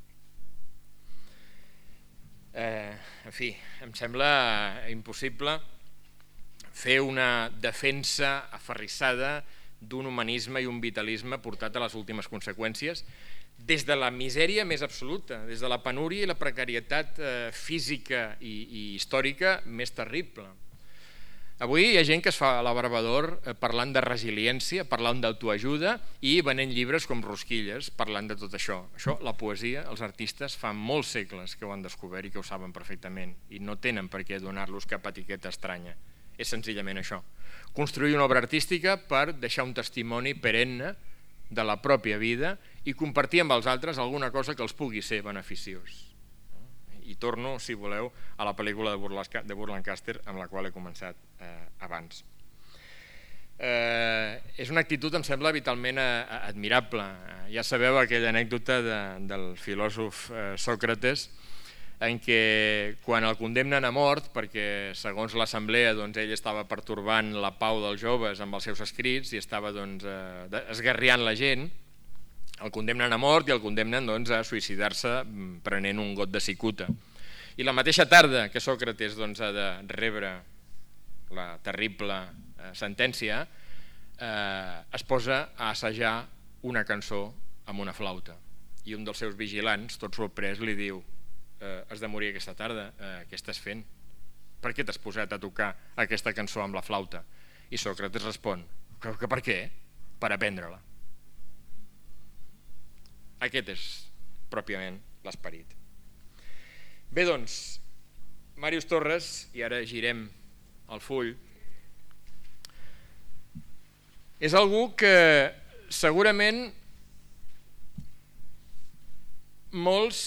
En fi, em sembla impossible fer una defensa aferrissada d'un humanisme i un vitalisme portat a les últimes conseqüències des de la misèria més absoluta, des de la penúria i la precarietat física i històrica més terrible. Avui hi ha gent que es fa l'abarbador parlant de resiliència, parlant d'autoajuda i venent llibres com rosquilles parlant de tot això. Això, la poesia, els artistes fa molts segles que ho han descobert i que ho saben perfectament i no tenen per què donar-los cap etiqueta estranya. És senzillament això, construir una obra artística per deixar un testimoni perenne de la pròpia vida i compartir amb els altres alguna cosa que els pugui ser beneficiós. I torno, si voleu, a la pel·lícula de Burt Lancaster amb la qual he començat abans. És una actitud, em sembla, vitalment admirable. Ja sabeu aquella anècdota del filòsof Sòcrates en què quan el condemnen a mort, perquè segons l'assemblea ell estava pertorbant la pau dels joves amb els seus escrits i estava esgarriant la gent, el condemnen a mort i el condemnen a suïcidar-se prenent un got de cicuta. I la mateixa tarda que Sòcrates ha de rebre la terrible sentència, es posa a assajar una cançó amb una flauta. I un dels seus vigilants, tot sorprès, li diu: has de morir aquesta tarda, què estàs fent? Per què t'has posat a tocar aquesta cançó amb la flauta? I Sòcrates respon: que per què? Per aprendre-la. Aquest és pròpiament l'esperit. Bé, doncs, Màrius Torres, i ara girem el full, és algú que segurament molts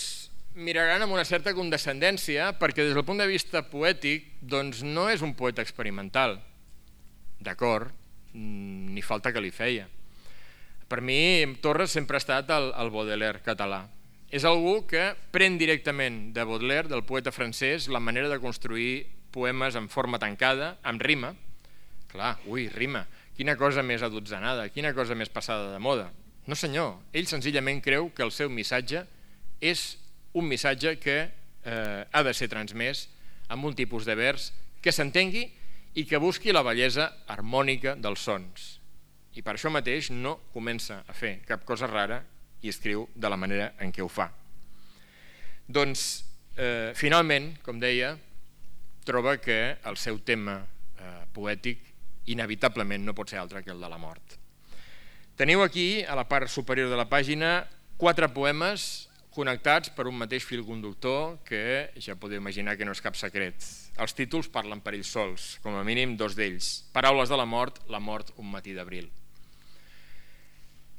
miraran amb una certa condescendència perquè des del punt de vista poètic no és un poeta experimental. D'acord, ni falta que li feia. Per mi, Torres sempre ha estat el Baudelaire català. És algú que pren directament de Baudelaire, del poeta francès, la manera de construir poemes en forma tancada, amb rima. Clar, rima. Quina cosa més adotzenada, quina cosa més passada de moda. No senyor, ell senzillament creu que el seu missatge és un missatge que ha de ser transmès amb un tipus de vers que s'entengui i que busqui la bellesa harmònica dels sons. I per això mateix no comença a fer cap cosa rara i escriu de la manera en què ho fa. Doncs, finalment, com deia, troba que el seu tema poètic inevitablement no pot ser altre que el de la mort. Teniu aquí, a la part superior de la pàgina, 4 poemes connectats per un mateix fil conductor que ja podeu imaginar que no és cap secret. Els títols parlen per ells sols, com a mínim 2 d'ells. Paraules de la mort un matí d'abril.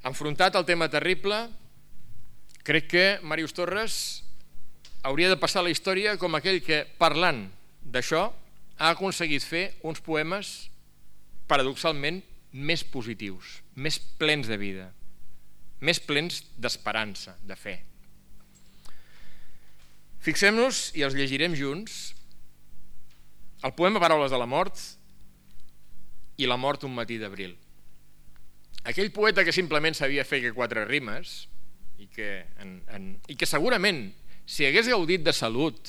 Enfrontat al tema terrible, Crec que Màrius Torres hauria de passar a la història com aquell que, parlant d'això, ha aconseguit fer uns poemes paradoxalment més positius, més plens de vida, més plens d'esperança, de fe. Fixem-nos, i els llegirem junts, el poema Paraules de la mort i La mort un matí d'abril. Aquell poeta que simplement sabia fer que 4 rimes i que segurament, si hagués gaudit de salut,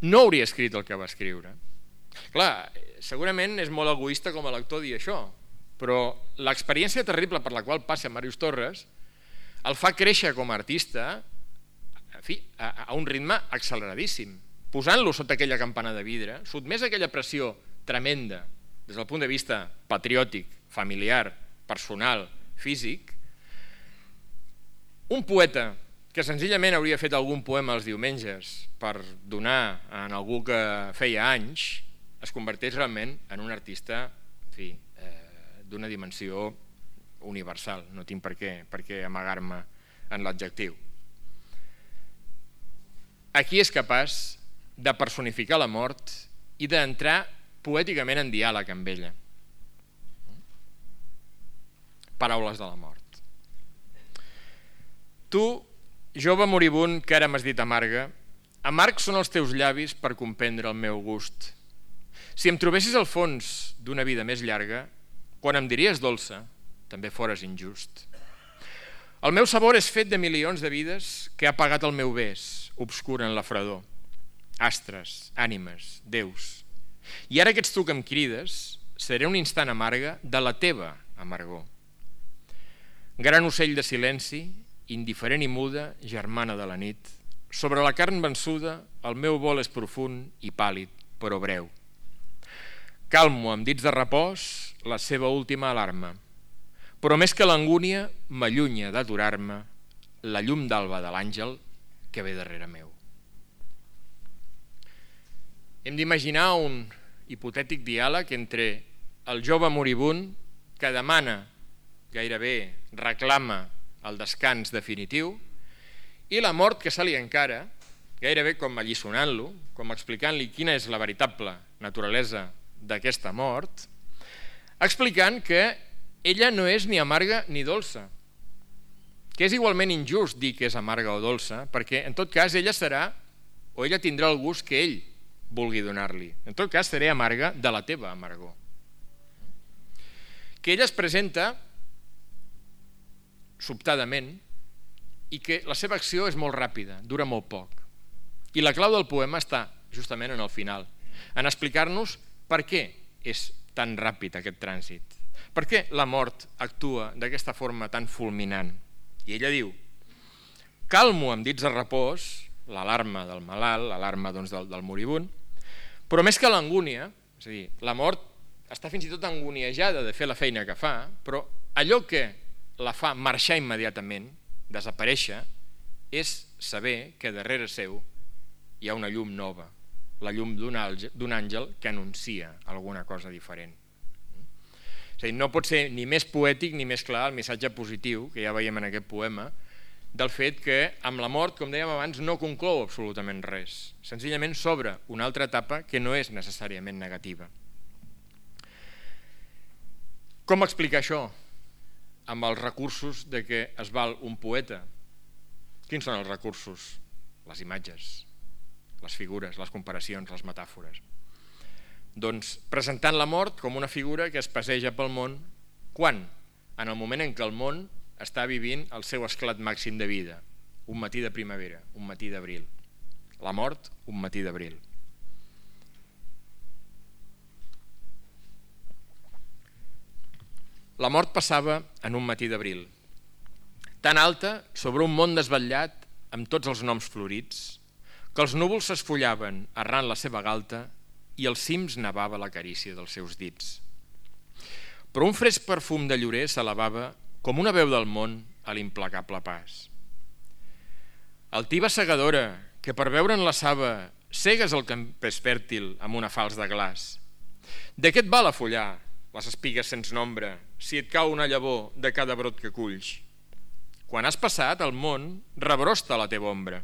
no hauria escrit el que va escriure. Clar, segurament és molt egoista com a lector dir això, però l'experiència terrible per la qual passa Màrius Torres el fa créixer com a artista a un ritme acceleradíssim, posant-lo sota aquella campana de vidre, sotmès a aquella pressió tremenda des del punt de vista patriòtic, familiar, personal, físic. Un poeta que senzillament hauria fet algun poema els diumenges per donar a algú que feia anys, es converteix realment en un artista d'una dimensió universal. No tinc per què amagar-me en l'adjectiu. Aquí és capaç de personificar la mort i d'entrar poèticament en diàleg amb ella. Paraules de la mort. Tu, jove moribund que ara m'has dit amarga, amargs són els teus llavis per comprendre el meu gust. Si em trobessis al fons d'una vida més llarga, quan em diries dolça, també fores injust. El meu sabor és fet de milions de vides que ha pagat el meu bes, obscur en la fredor. Astres, ànimes, déus. I ara que ets tu que em crides, seré un instant amarga de la teva amargor. Gran ocell de silenci, indiferent i muda, germana de la nit, sobre la carn vençuda el meu vol és profund i pàl·lid, però breu. Calmo amb dits de repòs la seva última alarma, però més que l'angúnia m'allunya d'aturar-me la llum d'alba de l'àngel que ve darrere meu. Hem d'imaginar un hipotètic diàleg entre el jove moribund que demana, gairebé reclama el descans definitiu, i la mort que se li encara, gairebé com alliçonant-lo, com explicant-li quina és la veritable naturalesa d'aquesta mort, explicant que ella no és ni amarga ni dolça, que és igualment injust dir que és amarga o dolça, perquè en tot cas ella serà, o ella tindrà el gust que ell vulgui donar-li. En tot cas seré amarga de la teva amargor. Que ella es presenta sobtadament i que la seva acció és molt ràpida, dura molt poc. I la clau del poema està justament en el final, en explicar-nos per què és tan ràpid aquest trànsit, per què la mort actua d'aquesta forma tan fulminant. I ella diu: calmo amb dits de repòs l'alarma del malalt, l'alarma del moribund, però més que l'angúnia, és a dir, la mort està fins i tot angoniejada de fer la feina que fa, però allò que la fa marxar immediatament, desaparèixer, és saber que darrere seu hi ha una llum nova, la llum d'un àngel que anuncia alguna cosa diferent. És a dir, no pot ser ni més poètic ni més clar el missatge positiu que ja veiem en aquest poema del fet que amb la mort, com dèiem abans, no conclou absolutament res. Senzillament s'obre una altra etapa que no és necessàriament negativa. Com explicar això amb els recursos de què es val un poeta? Quins són els recursos? Les imatges, les figures, les comparacions, les metàfores. Doncs presentant la mort com una figura que es passeja pel món. Quan? En el moment en què el món està vivint el seu esclat màxim de vida. Un matí de primavera, un matí d'abril. La mort, un matí d'abril. La mort passava en un matí d'abril, tan alta sobre un món desvetllat amb tots els noms florits, que els núvols s'esfollaven arran la seva galta i als cims nevava la carícia dels seus dits. Però un fresc perfum de llorer s'elevava com una veu del món a l'implacable pas. Altiva segadora, que per veure'n la saba cegues el campés fèrtil amb una falç de glaç. De què et val afollar les espigues sense nombre si et cau una llavor de cada brot que culls? Quan has passat, el món rebrosta a la teva ombra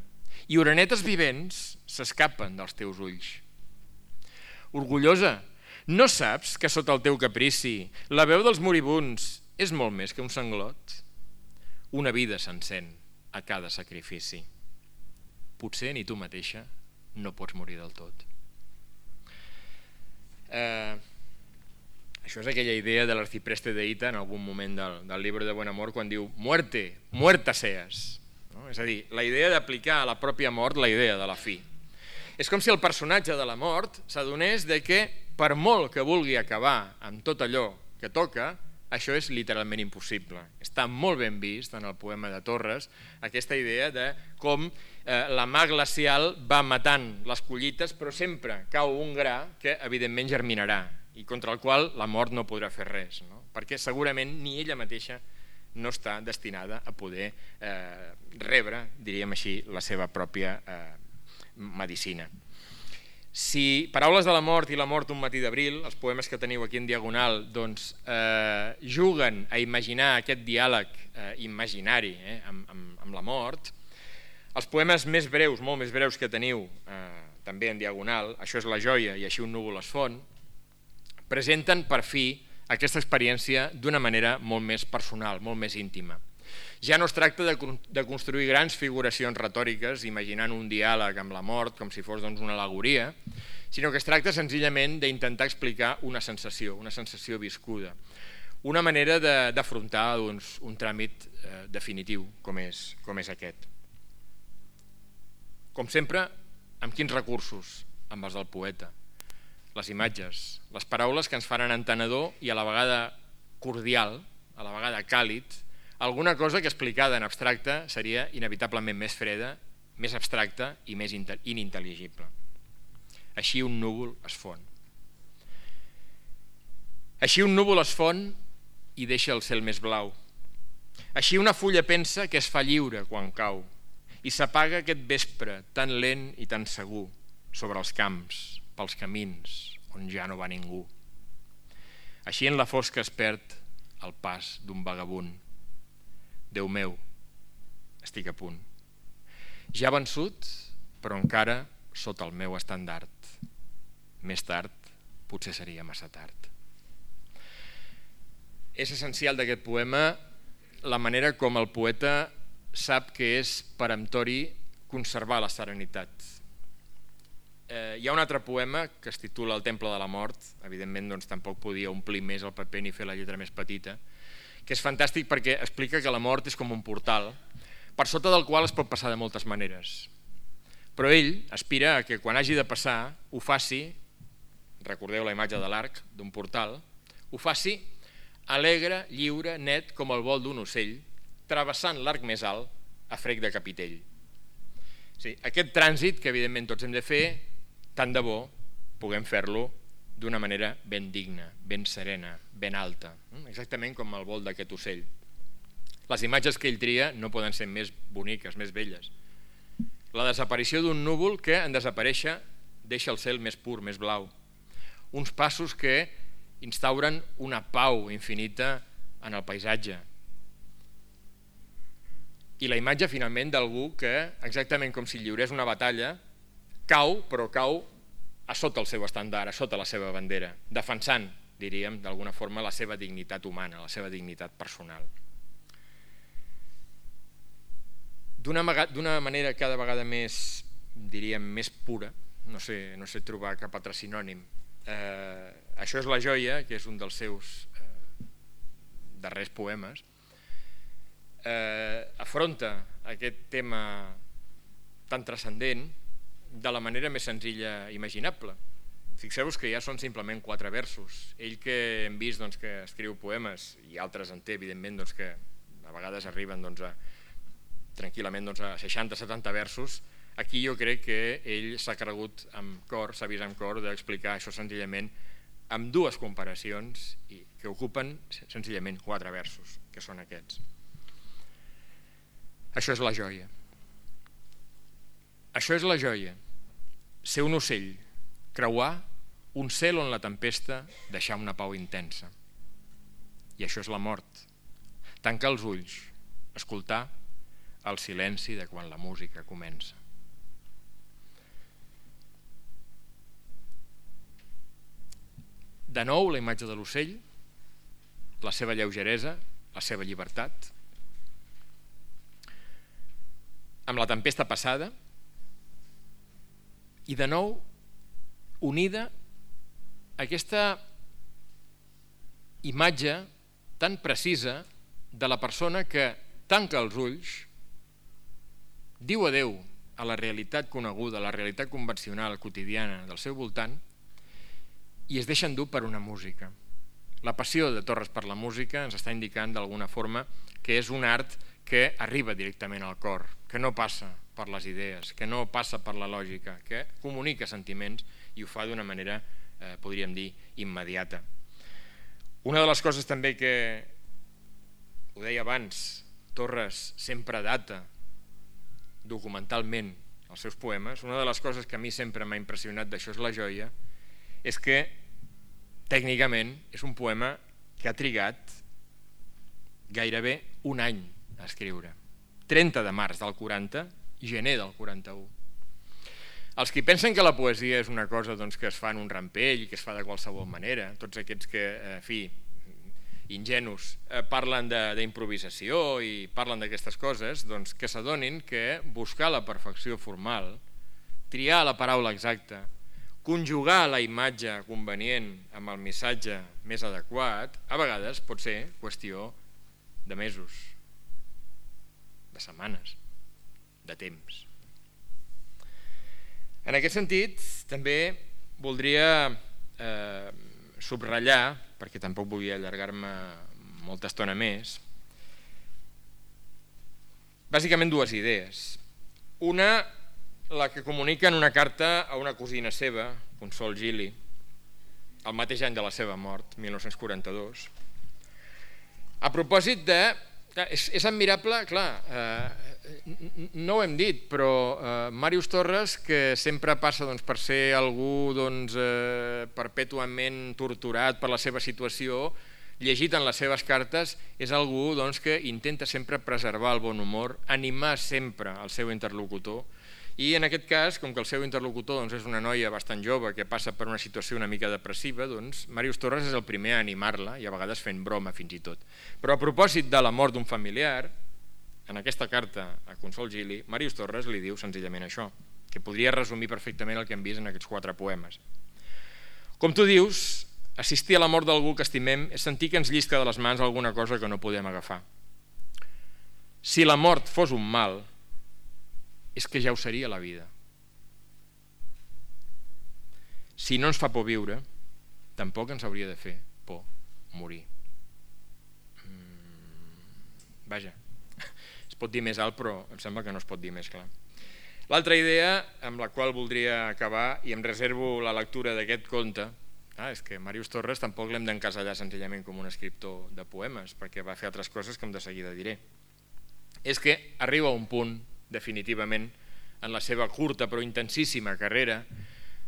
i orenetes vivents s'escapen dels teus ulls. Orgullosa, no saps que sota el teu caprici la veu dels moribunds és molt més que un sanglot? Una vida s'encén a cada sacrifici. Potser ni tu mateixa no pots morir del tot. Això és aquella idea de l'arcipreste de Hita en algun moment del llibre de Buen Amor, quan diu muerte, muerta seas. És a dir, la idea d'aplicar a la pròpia mort la idea de la fi. És com si el personatge de la mort s'adonés que per molt que vulgui acabar amb tot allò que toca, això és literalment impossible. Està molt ben vist en el poema de Torres aquesta idea de com la mà glacial va matant les collites, però sempre cau un gra que evidentment germinarà i contra el qual la mort no podrà fer res, perquè segurament ni ella mateixa no està destinada a poder rebre, diríem així, la seva pròpia medicina. Si Paraules de la mort i La mort un matí d'abril, els poemes que teniu aquí en diagonal, doncs juguen a imaginar aquest diàleg imaginari amb la mort, els poemes més breus, molt més breus que teniu també en diagonal, Això és la joia i Així un núvol es fon, presenten per fi aquesta experiència d'una manera molt més personal, molt més íntima. Ja no es tracta de construir grans figuracions retòriques imaginant un diàleg amb la mort com si fos una al·legoria, sinó que es tracta senzillament d'intentar explicar una sensació viscuda, una manera d'afrontar un tràmit definitiu com és aquest. Com sempre, amb quins recursos? Amb els del poeta. Les imatges, les paraules que ens faran entenedor i a la vegada cordial, a la vegada càlid, alguna cosa que explicada en abstracte seria inevitablement més freda, més abstracta i més inintel·ligible. Així un núvol es fon. Així un núvol es fon i deixa el cel més blau. Així una fulla pensa que es fa lliure quan cau i s'apaga aquest vespre tan lent i tan segur sobre els camps, pels camins on ja no va ningú. Així en la fosca es perd el pas d'un vagabund. Déu meu, estic a punt. Ja vençut, però encara sota el meu estendard. Més tard, potser seria massa tard. És essencial d'aquest poema la manera com el poeta sap que és peremptori conservar la serenitat. Hi ha un altre poema que es titula El temple de la mort, evidentment tampoc podia omplir més el paper ni fer la lletra més petita, que és fantàstic perquè explica que la mort és com un portal, per sota del qual es pot passar de moltes maneres. Però ell aspira a que quan hagi de passar ho faci, recordeu la imatge de l'arc d'un portal, ho faci alegre, lliure, net com el vol d'un ocell, travessant l'arc més alt a frec de capitell. Sí, aquest trànsit que evidentment tots hem de fer, tant de bo puguem fer-lo d'una manera ben digna, ben serena, ben alta, exactament com el vol d'aquest ocell. Les imatges que ell tria no poden ser més boniques, més belles. La desaparició d'un núvol que, en desaparèixer, deixa el cel més pur, més blau. Uns passos que instauren una pau infinita en el paisatge. I la imatge, finalment, d'algú que, exactament com si lliurés una batalla, cau, però cau a sota el seu estendard, a sota la seva bandera, defensant, diríem, d'alguna forma, la seva dignitat humana, la seva dignitat personal. D'una manera cada vegada més, diríem, més pura, no sé trobar cap altre sinònim. Això és la joia, que és un dels seus darrers poemes, afronta aquest tema tan transcendent de la manera més senzilla imaginable. Fixeu-vos que ja són simplement 4 versos. Ell que hem vist que escriu poemes, i altres en té, evidentment, que a vegades arriben tranquil·lament a 60-70 versos, aquí jo crec que ell s'ha cregut amb cor, s'ha vist amb cor d'explicar això senzillament amb 2 comparacions que ocupen senzillament 4 versos, que són aquests. Això és la joia. Això és la joia, ser un ocell, creuar un cel on la tempesta deixa una pau intensa. I això és la mort, tancar els ulls escoltar el silenci de quan la música comença. De nou, la imatge de l'ocell, la seva lleugeresa, la seva llibertat, amb la tempesta passada, i de nou unida aquesta imatge tan precisa de la persona que tanca els ulls, diu adeu a la realitat coneguda, a la realitat convencional, quotidiana del seu voltant, i es deixa endur per una música. La passió de Torres per la música ens està indicant d'alguna forma que és un art que arriba directament al cor, que no passa per les idees, que no passa per la lògica, que comunica sentiments i ho fa d'una manera, podríem dir, immediata. Una de les coses també que, ho deia abans, Torres sempre data documentalment els seus poemes, una de les coses que a mi sempre m'ha impressionat d'Això és la joia és que tècnicament és un poema que ha trigat gairebé un any a escriure. 30 de març del 40 i gener del 41. Els que pensen que la poesia és una cosa que es fa en un rampell, que es fa de qualsevol manera, tots aquests que, en fi, ingenus, parlen d'improvisació i parlen d'aquestes coses, que s'adonin que buscar la perfecció formal, triar la paraula exacta, conjugar la imatge convenient amb el missatge més adequat, a vegades pot ser qüestió de mesos, de setmanes, de temps. En aquest sentit, també voldria subratllar, perquè tampoc vull allargar-me molta estona més, bàsicament dues idees. Una, la que comunica en una carta a una cosina seva, Consol Gili, el mateix any de la seva mort, 1942, a propòsit de... És admirable, clar, no ho hem dit, però Màrius Torres, que sempre passa per ser algú perpètuament torturat per la seva situació, llegit en les seves cartes, és algú que intenta sempre preservar el bon humor, animar sempre el seu interlocutor, i en aquest cas, com que el seu interlocutor és una noia bastant jove que passa per una situació una mica depressiva, Màrius Torres és el primer a animar-la i a vegades fent broma fins i tot. Però a propòsit de la mort d'un familiar, en aquesta carta a Consol Gili, Màrius Torres li diu senzillament això, que podria resumir perfectament el que hem vist en aquests 4 poemes. Com tu dius, assistir a la mort d'algú que estimem és sentir que ens llisca de les mans alguna cosa que no podem agafar. Si la mort fos un mal, és que ja ho seria la vida. Si no ens fa por viure, tampoc ens hauria de fer por morir. Vaja, es pot dir més alt, però em sembla que no es pot dir més clar. L'altra idea amb la qual voldria acabar, i em reservo la lectura d'aquest conte, és que Màrius Torres tampoc l'hem d'encasellar senzillament com un escriptor de poemes, perquè va fer altres coses que de seguida diré. És que arriba a un punt definitivament en la seva curta però intensíssima carrera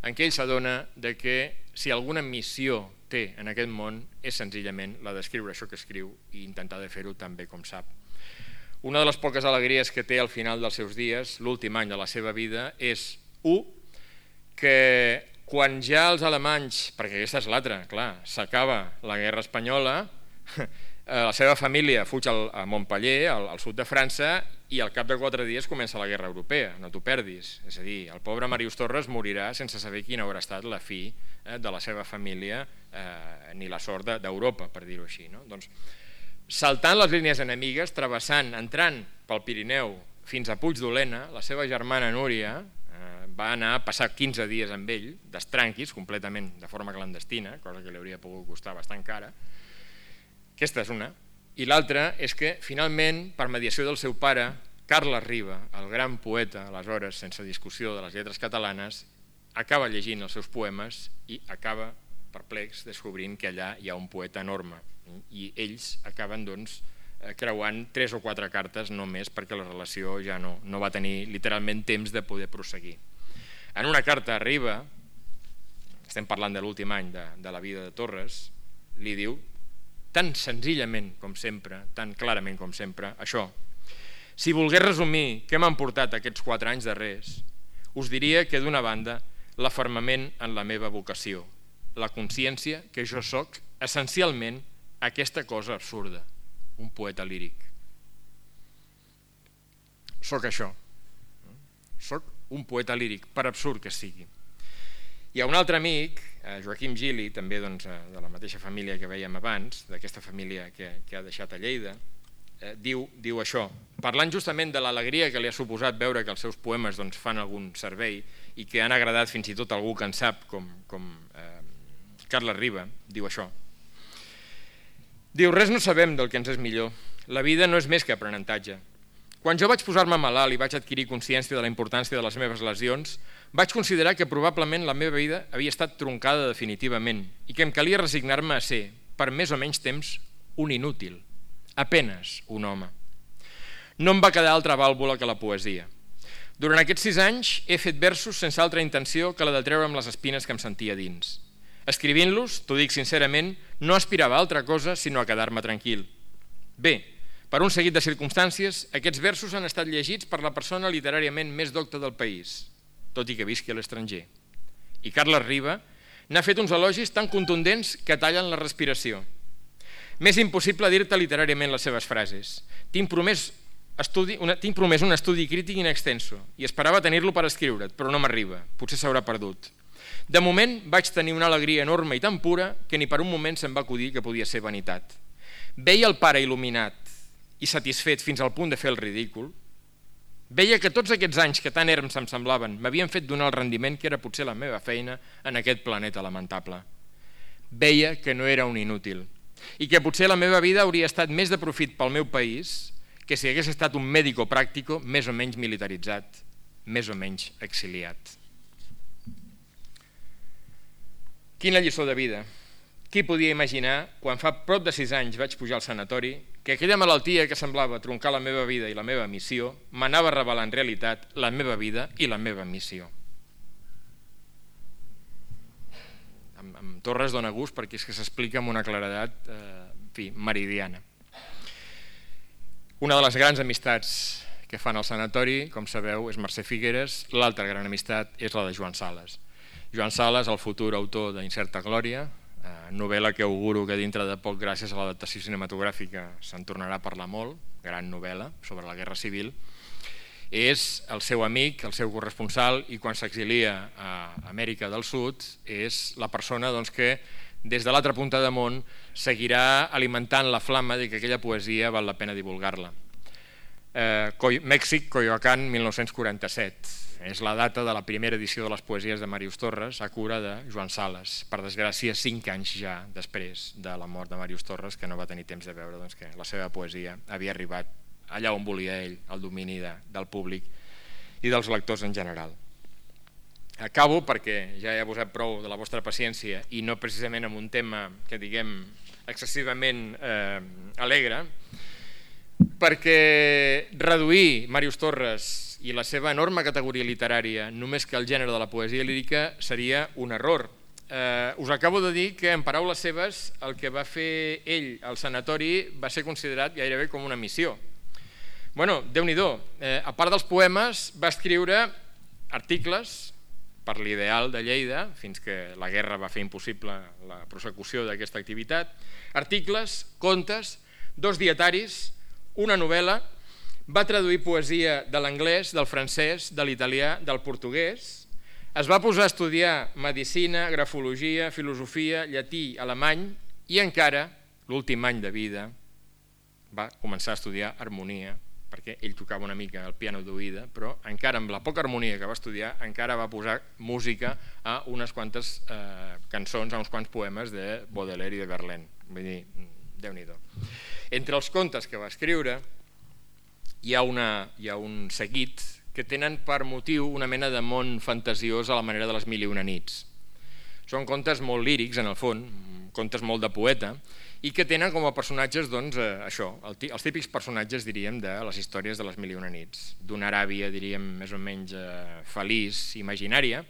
en què ell s'adona que si alguna missió té en aquest món és senzillament la d'escriure això que escriu i intentar de fer-ho tan bé com sap. Una de les poques alegries que té al final dels seus dies, l'últim any de la seva vida, és que quan ja els alemanys, perquè aquesta és l'altra, clar, s'acaba la guerra espanyola, la seva família fuig a Montpellier, al sud de França, i al cap de 4 dies comença la guerra europea, no t'ho perdis. És a dir, el pobre Màrius Torres morirà sense saber quina haurà estat la fi de la seva família ni la sort d'Europa, per dir-ho així. Doncs, saltant les línies enemigues, travessant, entrant pel Pirineu fins a Puigdolena, la seva germana Núria va anar a passar 15 dies amb ell, d'estranquis, completament de forma clandestina, cosa que li hauria pogut costar bastant cara. Aquesta és una. I l'altra és que, finalment, per mediació del seu pare, Carles Riba, el gran poeta, aleshores, sense discussió de les lletres catalanes, acaba llegint els seus poemes i acaba perplex descobrint que allà hi ha un poeta enorme. I ells acaben, creuant 3 o 4 cartes només perquè la relació ja no va tenir literalment temps de poder prosseguir. En una carta a Riba, estem parlant de l'últim any de la vida de Torres, li diu tan senzillament com sempre, tan clarament com sempre, això: Si volgués resumir què m'han portat aquests 4 anys darrers, us diria que d'una banda l'afermament en la meva vocació, la consciència que jo sóc essencialment aquesta cosa absurda, un poeta líric. Sóc això, sóc un poeta líric, per absurd que sigui. Hi ha un altre amic, Joaquim Gili, també de la mateixa família que vèiem abans, d'aquesta família que ha deixat a Lleida, diu això, parlant justament de l'alegria que li ha suposat veure que els seus poemes fan algun servei i que han agradat fins i tot a algú que en sap, com Carles Riba, diu això. Diu, res no sabem del que ens és millor, la vida no és més que aprenentatge. Quan jo vaig posar-me malalt i vaig adquirir consciència de la importància de les meves lesions, vaig considerar que probablement la meva vida havia estat troncada definitivament i que em calia resignar-me a ser, per més o menys temps, un inútil, apenes un home. No em va quedar altra vàlvula que la poesia. Durant aquests 6 anys he fet versos sense altra intenció que la de treure'm les espines que em sentia dins. Escrivint-los, t'ho dic sincerament, no aspirava a altra cosa sinó a quedar-me tranquil. Bé, per un seguit de circumstàncies, aquests versos han estat llegits per la persona literàriament més docta del país, tot i que visqui a l'estranger. I Carles Riba n'ha fet uns elogis tan contundents que tallen la respiració. M'és impossible dir-te literàriament les seves frases. Tinc promès un estudi crític in extenso i esperava tenir-lo per escriure't, però no m'arriba, potser s'haurà perdut. De moment vaig tenir una alegria enorme i tan pura que ni per un moment se'm va acudir que podia ser vanitat. Veia el pare il·luminat i satisfet fins al punt de fer el ridícul. Veia que tots aquests anys que tan erms em semblaven m'havien fet donar el rendiment que era potser la meva feina en aquest planeta lamentable. Veia que no era un inútil i que potser la meva vida hauria estat més de profit pel meu país que si hagués estat un mèdico pràctico més o menys militaritzat, més o menys exiliat. Quina lliçó de vida! Qui podia imaginar, quan fa prop de 6 anys vaig pujar al sanatori, que aquella malaltia que semblava troncar la meva vida i la meva missió m'anava a revelar en realitat la meva vida i la meva missió. Amb Torres dona gust perquè és que s'explica amb una claredat meridiana. Una de les grans amistats que fan al sanatori, com sabeu, és Mercè Figueres, l'altra gran amistat és la de Joan Sales. Joan Sales, el futur autor d'Incerta Glòria, novel·la que auguro que dintre de poc, gràcies a l'adaptació cinematogràfica, se'n tornarà a parlar molt, gran novel·la sobre la Guerra Civil, és el seu amic, el seu corresponsal, i quan s'exilia a Amèrica del Sud és la persona que des de l'altra punta de món seguirà alimentant la flama de que aquella poesia val la pena divulgar-la. Mèxic, Coyoacán, 1947. És la data de la primera edició de les poesies de Màrius Torres a cura de Joan Sales. Per desgràcia, 5 anys ja després de la mort de Màrius Torres, que no va tenir temps de veure que la seva poesia havia arribat allà on volia ell, al domini del públic i dels lectors en general. Acabo perquè ja he abusat prou de la vostra paciència i no precisament amb un tema que diguem excessivament alegre, perquè reduir Màrius Torres i la seva enorme categoria literària només que el gènere de la poesia lírica seria un error. Us acabo de dir que en paraules seves el que va fer ell al sanatori va ser considerat gairebé com una missió. Bueno, Déu-n'hi-do, a part dels poemes va escriure articles per l'Ideal de Lleida, fins que la guerra va fer impossible la prosecució d'aquesta activitat, articles, contes, 2 dietaris, una novel·la, va traduir poesia de l'anglès, del francès, de l'italià, del portuguès, es va posar a estudiar medicina, grafologia, filosofia, llatí, alemany i encara, l'últim any de vida, va començar a estudiar harmonia, perquè ell tocava una mica el piano d'oïda, però encara amb la poca harmonia que va estudiar encara va posar música a unes quantes cançons, a uns quants poemes de Baudelaire i de Verlaine. Vull dir, Déu-n'hi-do. Entre els contes que va escriure hi ha un seguit que tenen per motiu una mena de món fantasiós a la manera de les Mil i una nits. Són contes molt lírics, en el fons, contes molt de poeta, i que tenen com a personatges, això, els típics personatges, diríem, de les històries de les Mil i una nits, d'una Aràbia, diríem, més o menys feliç, imaginària,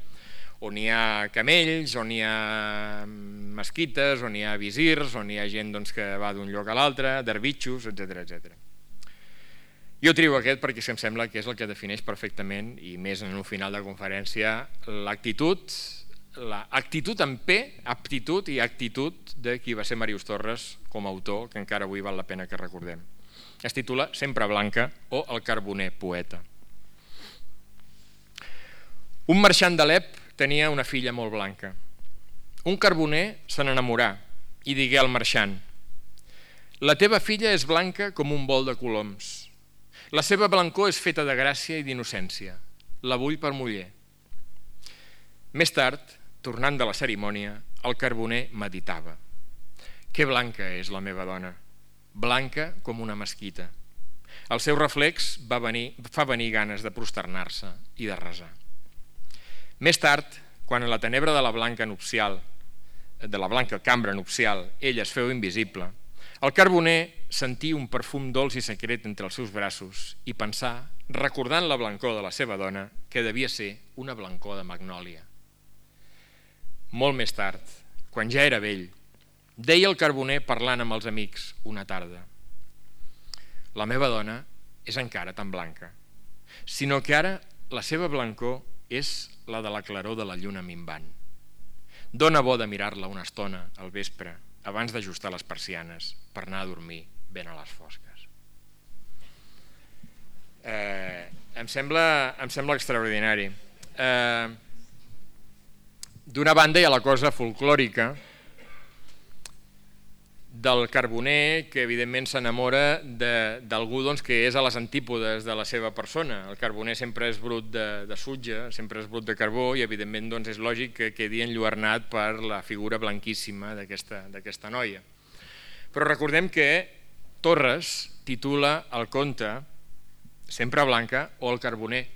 on hi ha camells, on hi ha mesquites, on hi ha visirs, on hi ha gent que va d'un lloc a l'altre, derbitxos, etc. Jo trio aquest perquè em sembla que és el que defineix perfectament, i més en un final de conferència, l'actitud amb P, aptitud i actitud de qui va ser Màrius Torres com a autor, que encara avui val la pena que recordem. Es titula Sempre Blanca o El carboner poeta. Un marxant d'Alep tenia una filla molt blanca. Un carboner se n'enamorà i digué al marxant: la teva filla és blanca com un bol de coloms. La seva blancor és feta de gràcia i d'innocència. La vull per muller. Més tard, tornant de la cerimònia, el carboner meditava: que blanca és la meva dona, blanca com una mesquita. El seu reflex fa venir ganes de prosternar-se i de resar. Més tard, quan a la tenebra de la blanca cambra nupcial ell es feu invisible, el carboner sentí un perfum dolç i secret entre els seus braços i pensà, recordant la blancor de la seva dona, que devia ser una blancor de magnòlia. Molt més tard, quan ja era vell, deia el carboner parlant amb els amics una tarda: la meva dona és encara tan blanca, sinó que ara la seva blancor és la de la claror de la lluna minvant. Dóna bo de mirar-la una estona al vespre abans d'ajustar les persianes per anar a dormir ben a les fosques. Em sembla extraordinari. D'una banda hi ha la cosa folclòrica del carboner, que evidentment s'enamora d'algú que és a les antípodes de la seva persona. El carboner sempre és brut de sutge, sempre és brut de carbó, i evidentment és lògic que quedi enlluernat per la figura blanquíssima d'aquesta noia. Però recordem que Torres titula el conte Sempre Blanca o el carboner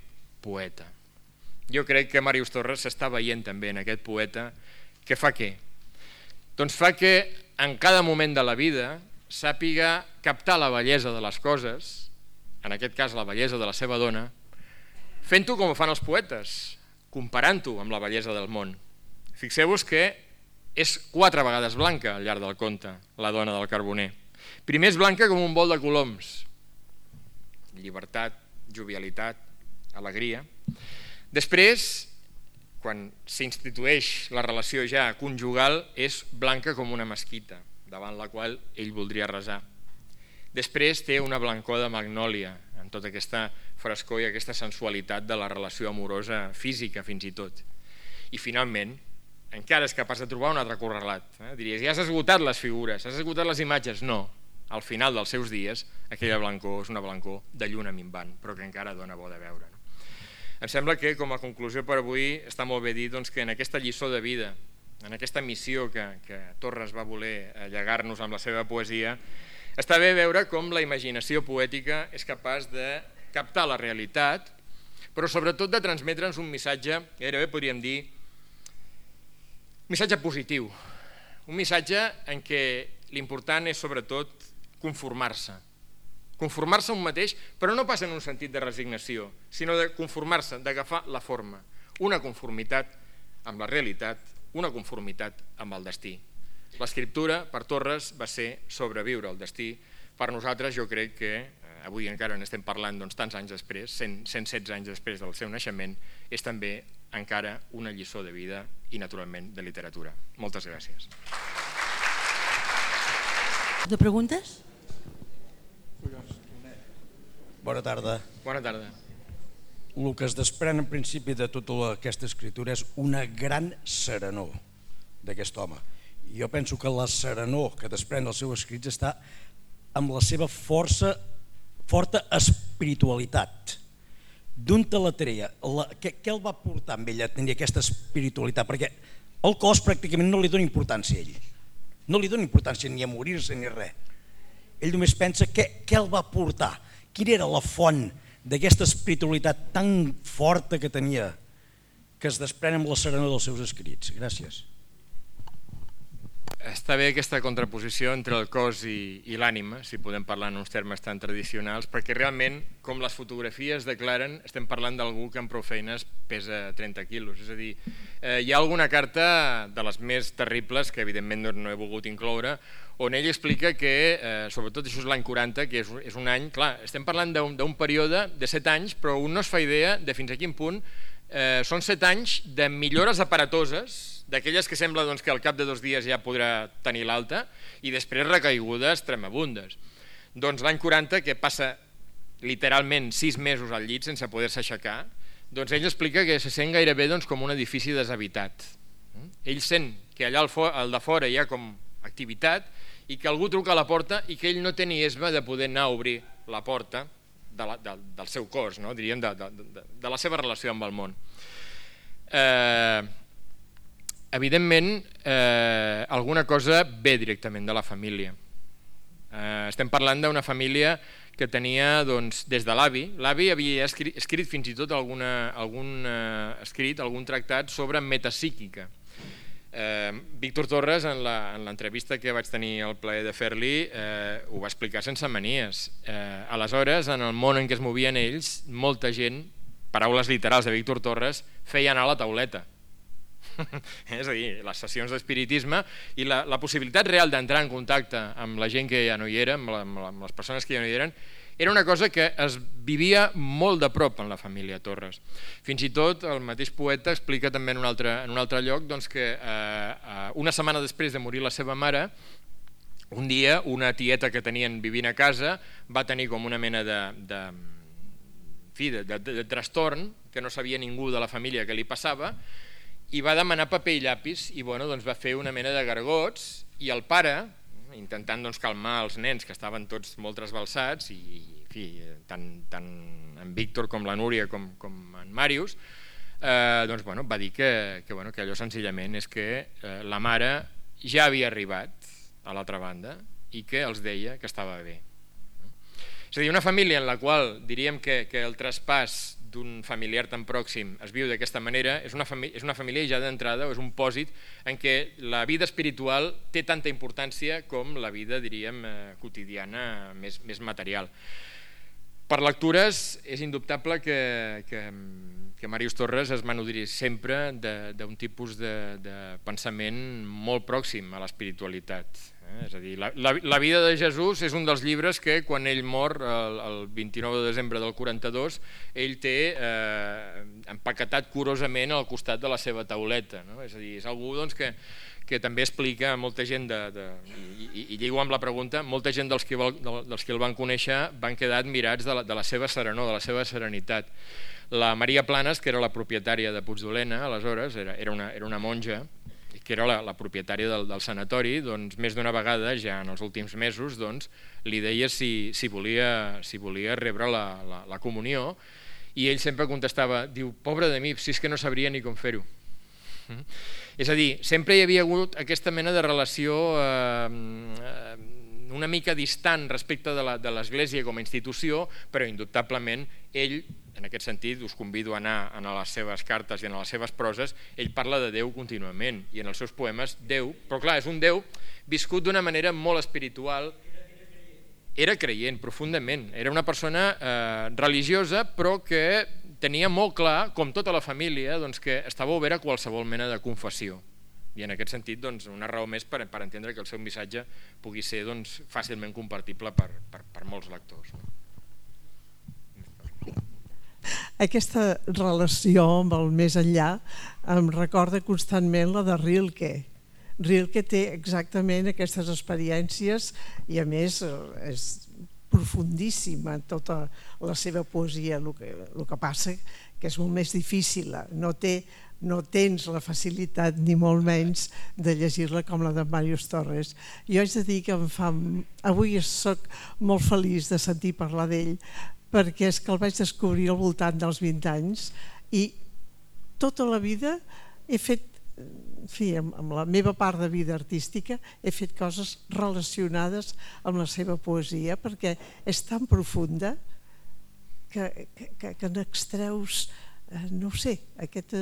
poeta. Jo crec que Màrius Torres s'està veient també en aquest poeta que fa què? Doncs fa que en cada moment de la vida sàpiga captar la bellesa de les coses, en aquest cas la bellesa de la seva dona, fent-ho com ho fan els poetes, comparant-ho amb la bellesa del món. Fixeu-vos que és 4 vegades blanca al llarg del conte, la dona del carboner. Primer és blanca com un bol de coloms, llibertat, jovialitat, alegria. Després, quan s'institueix la relació ja conjugal, és blanca com una mesquita, davant la qual ell voldria resar. Després té una blancor de magnòlia, amb tota aquesta frescor i aquesta sensualitat de la relació amorosa física, fins i tot. I finalment, encara és capaç de trobar un altre correlat. Diries, ja has esgotat les figures, has esgotat les imatges. No, al final dels seus dies, aquella blancor és una blancor de lluna minvant, però que encara dona bo de veure. Em sembla que, com a conclusió per avui, està molt bé dir que en aquesta lliçó de vida, en aquesta missió que Torres va voler llegar-nos amb la seva poesia, està bé veure com la imaginació poètica és capaç de captar la realitat, però sobretot de transmetre'ns un missatge, gairebé podríem dir, un missatge positiu, un missatge en què l'important és sobretot conformar-se a un mateix, però no pas en un sentit de resignació, sinó de conformar-se, d'agafar la forma, una conformitat amb la realitat, una conformitat amb el destí. L'escriptura, per Torres, va ser sobreviure al destí. Per nosaltres, jo crec que, avui encara n'estem parlant tants anys després, 116 anys després del seu naixement, és també encara una lliçó de vida i, naturalment, de literatura. Moltes gràcies. De preguntes? Bona tarda. Bona tarda. El que es desprèn en principi de tota aquesta escritura és una gran serenor d'aquest home. Jo penso que la serenor que desprèn dels seus escrits està amb la seva forta espiritualitat. D'on te la treia? Què el va portar amb ell a tenir aquesta espiritualitat? Perquè el cos pràcticament no li dona importància a ell. No li dona importància ni a morir-se ni res. Ell només pensa què el va portar. Quina era la font d'aquesta espiritualitat tan forta que tenia, que es desprèn amb la serenor dels seus escrits? Gràcies. Està bé aquesta contraposició entre el cos i l'ànima, si podem parlar en uns termes tan tradicionals, perquè realment, com les fotografies declaren, estem parlant d'algú que amb prou feines pesa 30 quilos. És a dir, hi ha alguna carta de les més terribles, que evidentment no he volgut incloure, on ell explica que, sobretot això és l'any 40, que és un any, clar, estem parlant d'un període de 7 anys, però un no es fa idea de fins a quin punt són 7 anys de millores aparatoses, d'aquelles que sembla que al cap de 2 dies ja podrà tenir l'alta, i després recaigudes tremabundes. Doncs l'any 40, que passa literalment 6 mesos al llit sense poder-se aixecar, doncs ell explica que se sent gairebé com un edifici deshabitat. Ell sent que allà al de fora hi ha com activitat i que algú truca a la porta i que ell no té ni esma de poder anar a obrir la porta del seu cos, diríem, de la seva relació amb el món. Evidentment, alguna cosa ve directament de la família. Estem parlant d'una família que tenia des de l'avi. L'avi havia escrit fins i tot algun tractat sobre metapsíquica. Víctor Torres, en l'entrevista que vaig tenir el plaer de fer-li, ho va explicar sense manies. Aleshores, en el món en què es movien ells, molta gent, paraules literals de Víctor Torres, feia anar a la tauleta. És a dir, les sessions d'espiritisme i la possibilitat real d'entrar en contacte amb la gent que ja no hi era, amb les persones que ja no hi eren, era una cosa que es vivia molt de prop en la família Torres. Fins i tot el mateix poeta explica també en un altre lloc que una setmana després de morir la seva mare, un dia una tieta que tenien vivint a casa va tenir com una mena de trastorn, que no sabia ningú de la família què li passava, i va demanar paper i llapis i va fer una mena de gargots, i el pare, intentant calmar els nens que estaven tots molt trasbalsats, i tant en Víctor com la Núria com en Màrius, va dir que allò senzillament és que la mare ja havia arribat a l'altra banda i que els deia que estava bé. És a dir, una família en la qual diríem que el traspàs d'un familiar tan pròxim es viu d'aquesta manera, és una família ja d'entrada, o és un pòsit en què la vida espiritual té tanta importància com la vida, diríem, quotidiana més material. Per lectures, és indubtable que Màrius Torres es va nodrir sempre d'un tipus de pensament molt pròxim a l'espiritualitat. És a dir, la vida de Jesús és un dels llibres que quan ell mor el 29 de desembre del 42 ell té empaquetat curosament al costat de la seva tauleta. És a dir, és algú que també explica a molta gent, i lligo amb la pregunta, molta gent dels que el van conèixer van quedar admirats de la seva serenor, de la seva serenitat. La Maria Planes, que era la propietària de Puigdolena, aleshores, era una monja, que era la propietària del sanatori, més d'una vegada, ja en els últims mesos, li deia si volia rebre la comunió, i ell sempre contestava, diu, pobre de mi, si és que no sabria ni com fer-ho. És a dir, sempre hi havia hagut aquesta mena de relació una mica distant respecte de l'Església com a institució, però indubtablement ell, en aquest sentit, us convido a anar a les seves cartes i a les seves proses, ell parla de Déu contínuament, i en els seus poemes Déu, però clar, és un Déu viscut d'una manera molt espiritual. Era creient profundament, era una persona religiosa, però que tenia molt clar, com tota la família, que estava obert a qualsevol mena de confessió. I en aquest sentit, una raó més per entendre que el seu missatge pugui ser fàcilment compartible per molts lectors. Aquesta relació amb el més enllà em recorda constantment la de Rilke. Rilke té exactament aquestes experiències i a més és profundíssima tota la seva poesia. El que passa que és molt més difícil, no tens la facilitat ni molt menys de llegir-la com la de Màrius Torres. Jo haig de dir que avui soc molt feliç de sentir parlar d'ell, perquè és que el vaig descobrir al voltant dels 20 anys i tota la vida he fet, amb la meva part de vida artística, he fet coses relacionades amb la seva poesia, perquè és tan profunda que n'extreus, no ho sé, aquest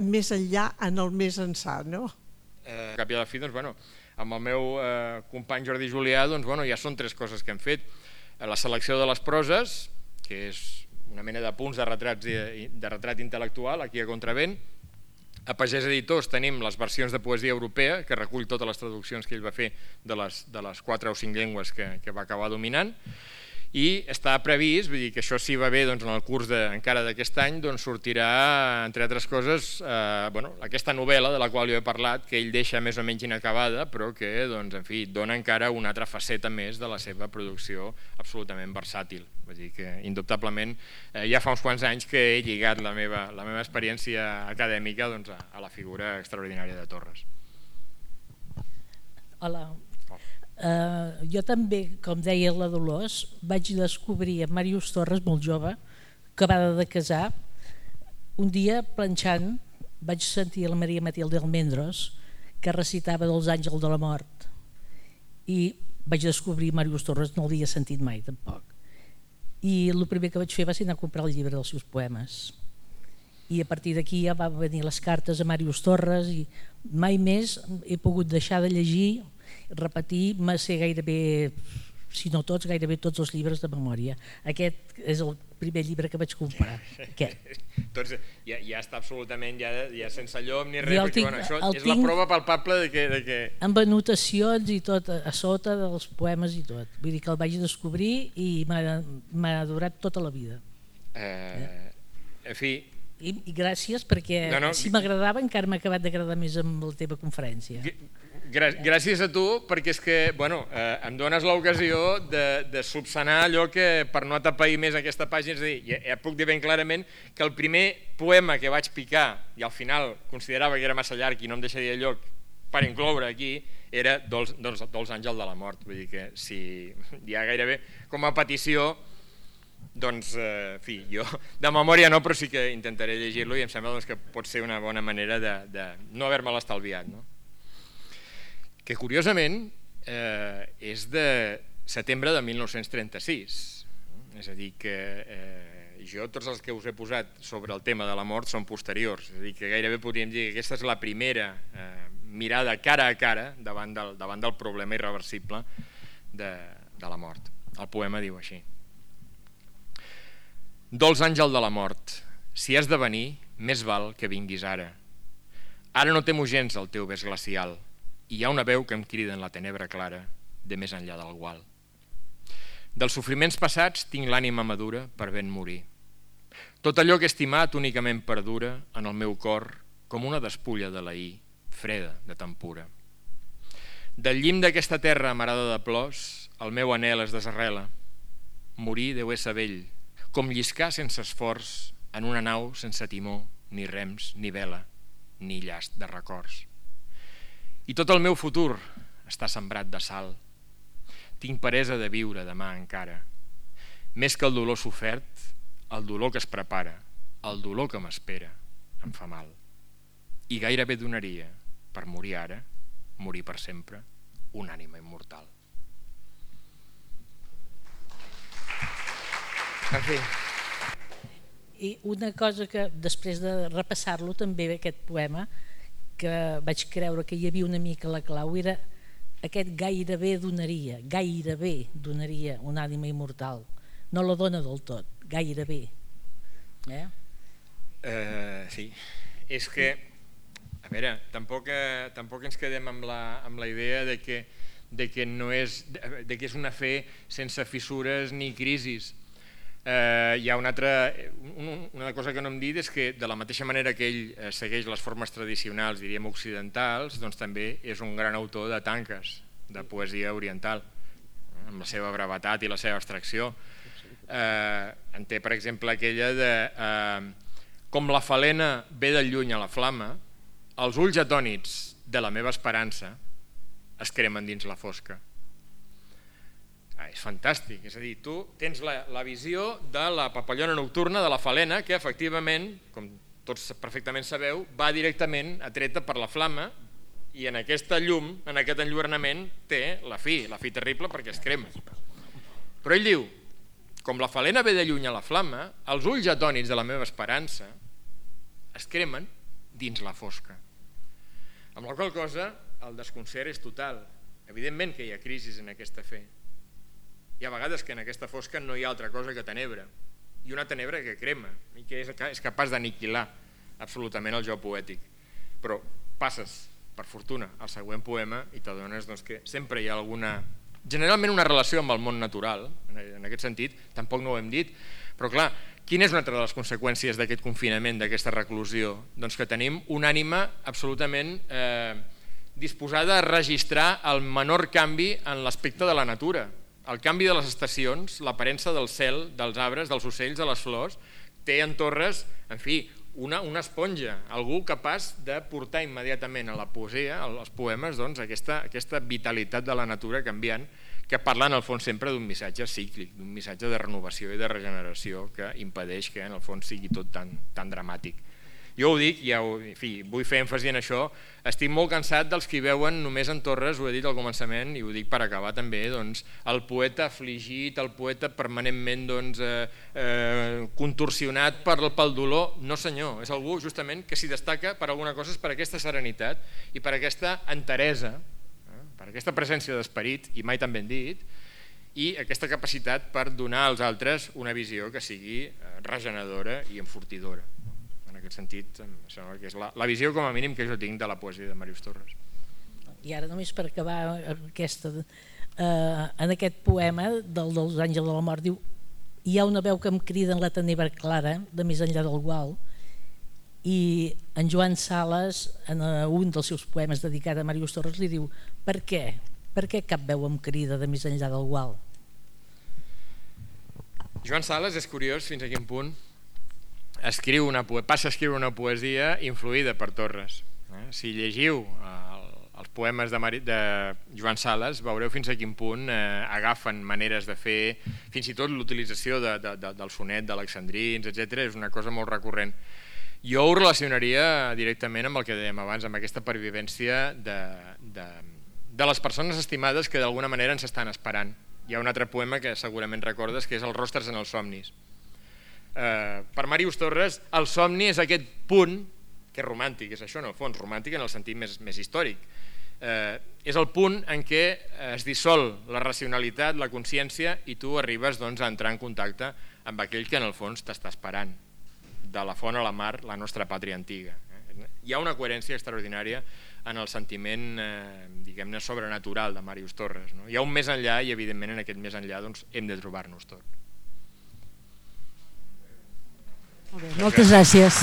més enllà en el més ençà, no? Cap i a la fi, doncs, bueno, amb el meu company Jordi Julià, doncs, bueno, ja són 3 coses que hem fet. La selecció de les proses, que és una mena de punts de retrat intel·lectual, aquí a Contravent. A Pagès Editors tenim les versions de poesia europea, que recull totes les traduccions que ell va fer de les 4 o 5 llengües que va acabar dominant. I està previst, vull dir que això si va bé en el curs encara d'aquest any, sortirà, entre altres coses, aquesta novel·la de la qual jo he parlat, que ell deixa més o menys inacabada, però que dona encara una altra faceta més de la seva producció absolutament versàtil. Vull dir que, indubtablement, ja fa uns quants anys que he lligat la meva experiència acadèmica a la figura extraordinària de Torres. Hola. Jo també, com deia la Dolors, vaig descobrir a Màrius Torres molt jove, acabada de casar. Un dia, planxant, vaig sentir la Maria Matilde Almendros, que recitava dels Àngels de la Mort. I vaig descobrir Màrius Torres, no l'havia sentit mai tampoc. I el primer que vaig fer va ser anar a comprar el llibre dels seus poemes. I a partir d'aquí ja van venir les cartes a Màrius Torres i mai més he pogut deixar de llegir, repetir, sé gairebé, si no tots, gairebé tots els llibres de memòria. Aquest és el primer llibre que vaig comprar. Doncs ja està absolutament ja sense llom ni res, perquè això és la prova palpable de que... Amb anotacions i tot a sota dels poemes i tot. Vull dir que el vaig descobrir i m'ha durat tota la vida. En fi... I gràcies perquè si m'agradava encara m'ha acabat d'agradar més amb la teva conferència. Gràcies a tu, perquè és que em dones l'ocasió de subsanar allò que per no atapeir més aquesta pàgina, és a dir, ja puc dir ben clarament que el primer poema que vaig picar i al final considerava que era massa llarg i no em deixaria lloc per incloure aquí era dels Àngels de la Mort. Vull dir que si ja gairebé com a petició, doncs, en fi, jo de memòria no, però sí que intentaré llegir-lo i em sembla que pot ser una bona manera de no haver-me l'estalviat, no? Que curiosament és de setembre de 1936, és a dir que jo tots els que us he posat sobre el tema de la mort són posteriors, és a dir que gairebé podríem dir que aquesta és la primera mirada cara a cara davant del problema irreversible de la mort. El poema diu així: Dolç àngel de la mort, si has de venir, més val que vinguis ara. Ara no temo gens el teu bes glacial, i hi ha una veu que em crida en la tenebra clara de més enllà del gual. Dels sofriments passats tinc l'ànima madura per ben morir. Tot allò que he estimat únicament perdura en el meu cor com una despulla de l'ahir, freda de tan pura. Del llim d'aquesta terra amarada de plors, el meu anhel es desarrela. Morir deu ésser vell, com lliscar sense esforç en una nau sense timó, ni rems, ni vela, ni llast de records. I tot el meu futur està sembrat de sal. Tinc peresa de viure demà encara. Més que el dolor sofert, el dolor que es prepara, el dolor que m'espera, em fa mal. I gairebé donaria, per morir ara, morir per sempre, una ànima immortal. En fi. I una cosa que després de repassar-lo també aquest poema, que vaig creure que hi havia una mica la clau, era aquest gairebé donaria una ànima immortal. No la dona del tot, gairebé. Sí, és que, a veure, tampoc ens quedem amb la idea de que no és, de que és una fe sense fissures ni crisis. Hi ha una cosa que no hem dit, és que de la mateixa manera que ell segueix les formes tradicionals, diríem occidentals, doncs també és un gran autor de tanques, de poesia oriental, amb la seva brevetat i la seva abstracció. En té, per exemple, aquella de com la falena ve del lluny a la flama, els ulls atònits de la meva esperança es cremen dins la fosca. És fantàstic, és a dir, tu tens la visió de la papallona nocturna de la falena que efectivament, com tots perfectament sabeu, va directament atreta per la flama i en aquesta llum, en aquest enlluernament té la fi terrible perquè es crema. Però ell diu, com la falena ve de lluny a la flama, els ulls atònits de la meva esperança es cremen dins la fosca. Amb la qual cosa el desconcert és total. Evidentment que hi ha crisis en aquesta fe. Hi ha vegades que en aquesta fosca no hi ha altra cosa que tenebra, i una tenebra que crema i que és capaç d'aniquilar absolutament el jo poètic. Però passes, per fortuna, al següent poema i t'adones que sempre hi ha generalment una relació amb el món natural. En aquest sentit, tampoc no ho hem dit, però clar, quina és una altra de les conseqüències d'aquest confinament, d'aquesta reclusió? Doncs que tenim una ànima absolutament disposada a registrar el menor canvi en l'aspecte de la natura. El canvi de les estacions, l'aparença del cel, dels arbres, dels ocells, de les flors, té en Torres, en fi, una esponja, algú capaç de portar immediatament a la poesia, als poemes, aquesta vitalitat de la natura canviant, que parla en el fons sempre d'un missatge cíclic, d'un missatge de renovació i de regeneració que impedeix que en el fons sigui tot tan dramàtic. Jo ho dic, en fi, vull fer èmfasi en això, estic molt cansat dels que hi veuen només en Torres, ho he dit al començament i ho dic per acabar també, el poeta afligit, el poeta permanentment contorsionat pel dolor. No senyor, és algú justament que s'hi destaca per alguna cosa, és per aquesta serenitat i per aquesta enteresa, per aquesta presència d'esperit, i mai tan ben dit, i aquesta capacitat per donar als altres una visió que sigui regeneradora i enfortidora. En aquest sentit, em sembla que és la visió com a mínim que jo tinc de la poesia de Màrius Torres. I ara només per acabar en aquest poema dels Àngels de la Mort, diu: hi ha una veu que em crida en la tenebra clara de més enllà del gual. I en Joan Sales, en un dels seus poemes dedicat a Màrius Torres, li diu: per què? Per què cap veu em crida de més enllà del gual? Joan Sales és curiós fins a quin punt passa a escriure una poesia influïda per Torres. Si llegiu els poemes de Joan Sales veureu fins a quin punt agafen maneres de fer, fins i tot l'utilització del sonet d'alexandrins, etc. És una cosa molt recurrent. Jo ho relacionaria directament amb el que dèiem abans, amb aquesta pervivència de les persones estimades que d'alguna manera ens estan esperant. Hi ha un altre poema que segurament recordes, que és Els rostres en els somnis. Per Màrius Torres el somni és aquest punt que és romàntic, és això en el fons, romàntic en el sentit més històric, és el punt en què es dissol la racionalitat, la consciència, i tu arribes a entrar en contacte amb aquell que en el fons t'està esperant, de la font a la mar, la nostra pàtria antiga. Hi ha una coherència extraordinària en el sentiment, diguem-ne, sobrenatural de Màrius Torres. Hi ha un més enllà i evidentment en aquest més enllà hem de trobar-nos tot. Moltes gràcies.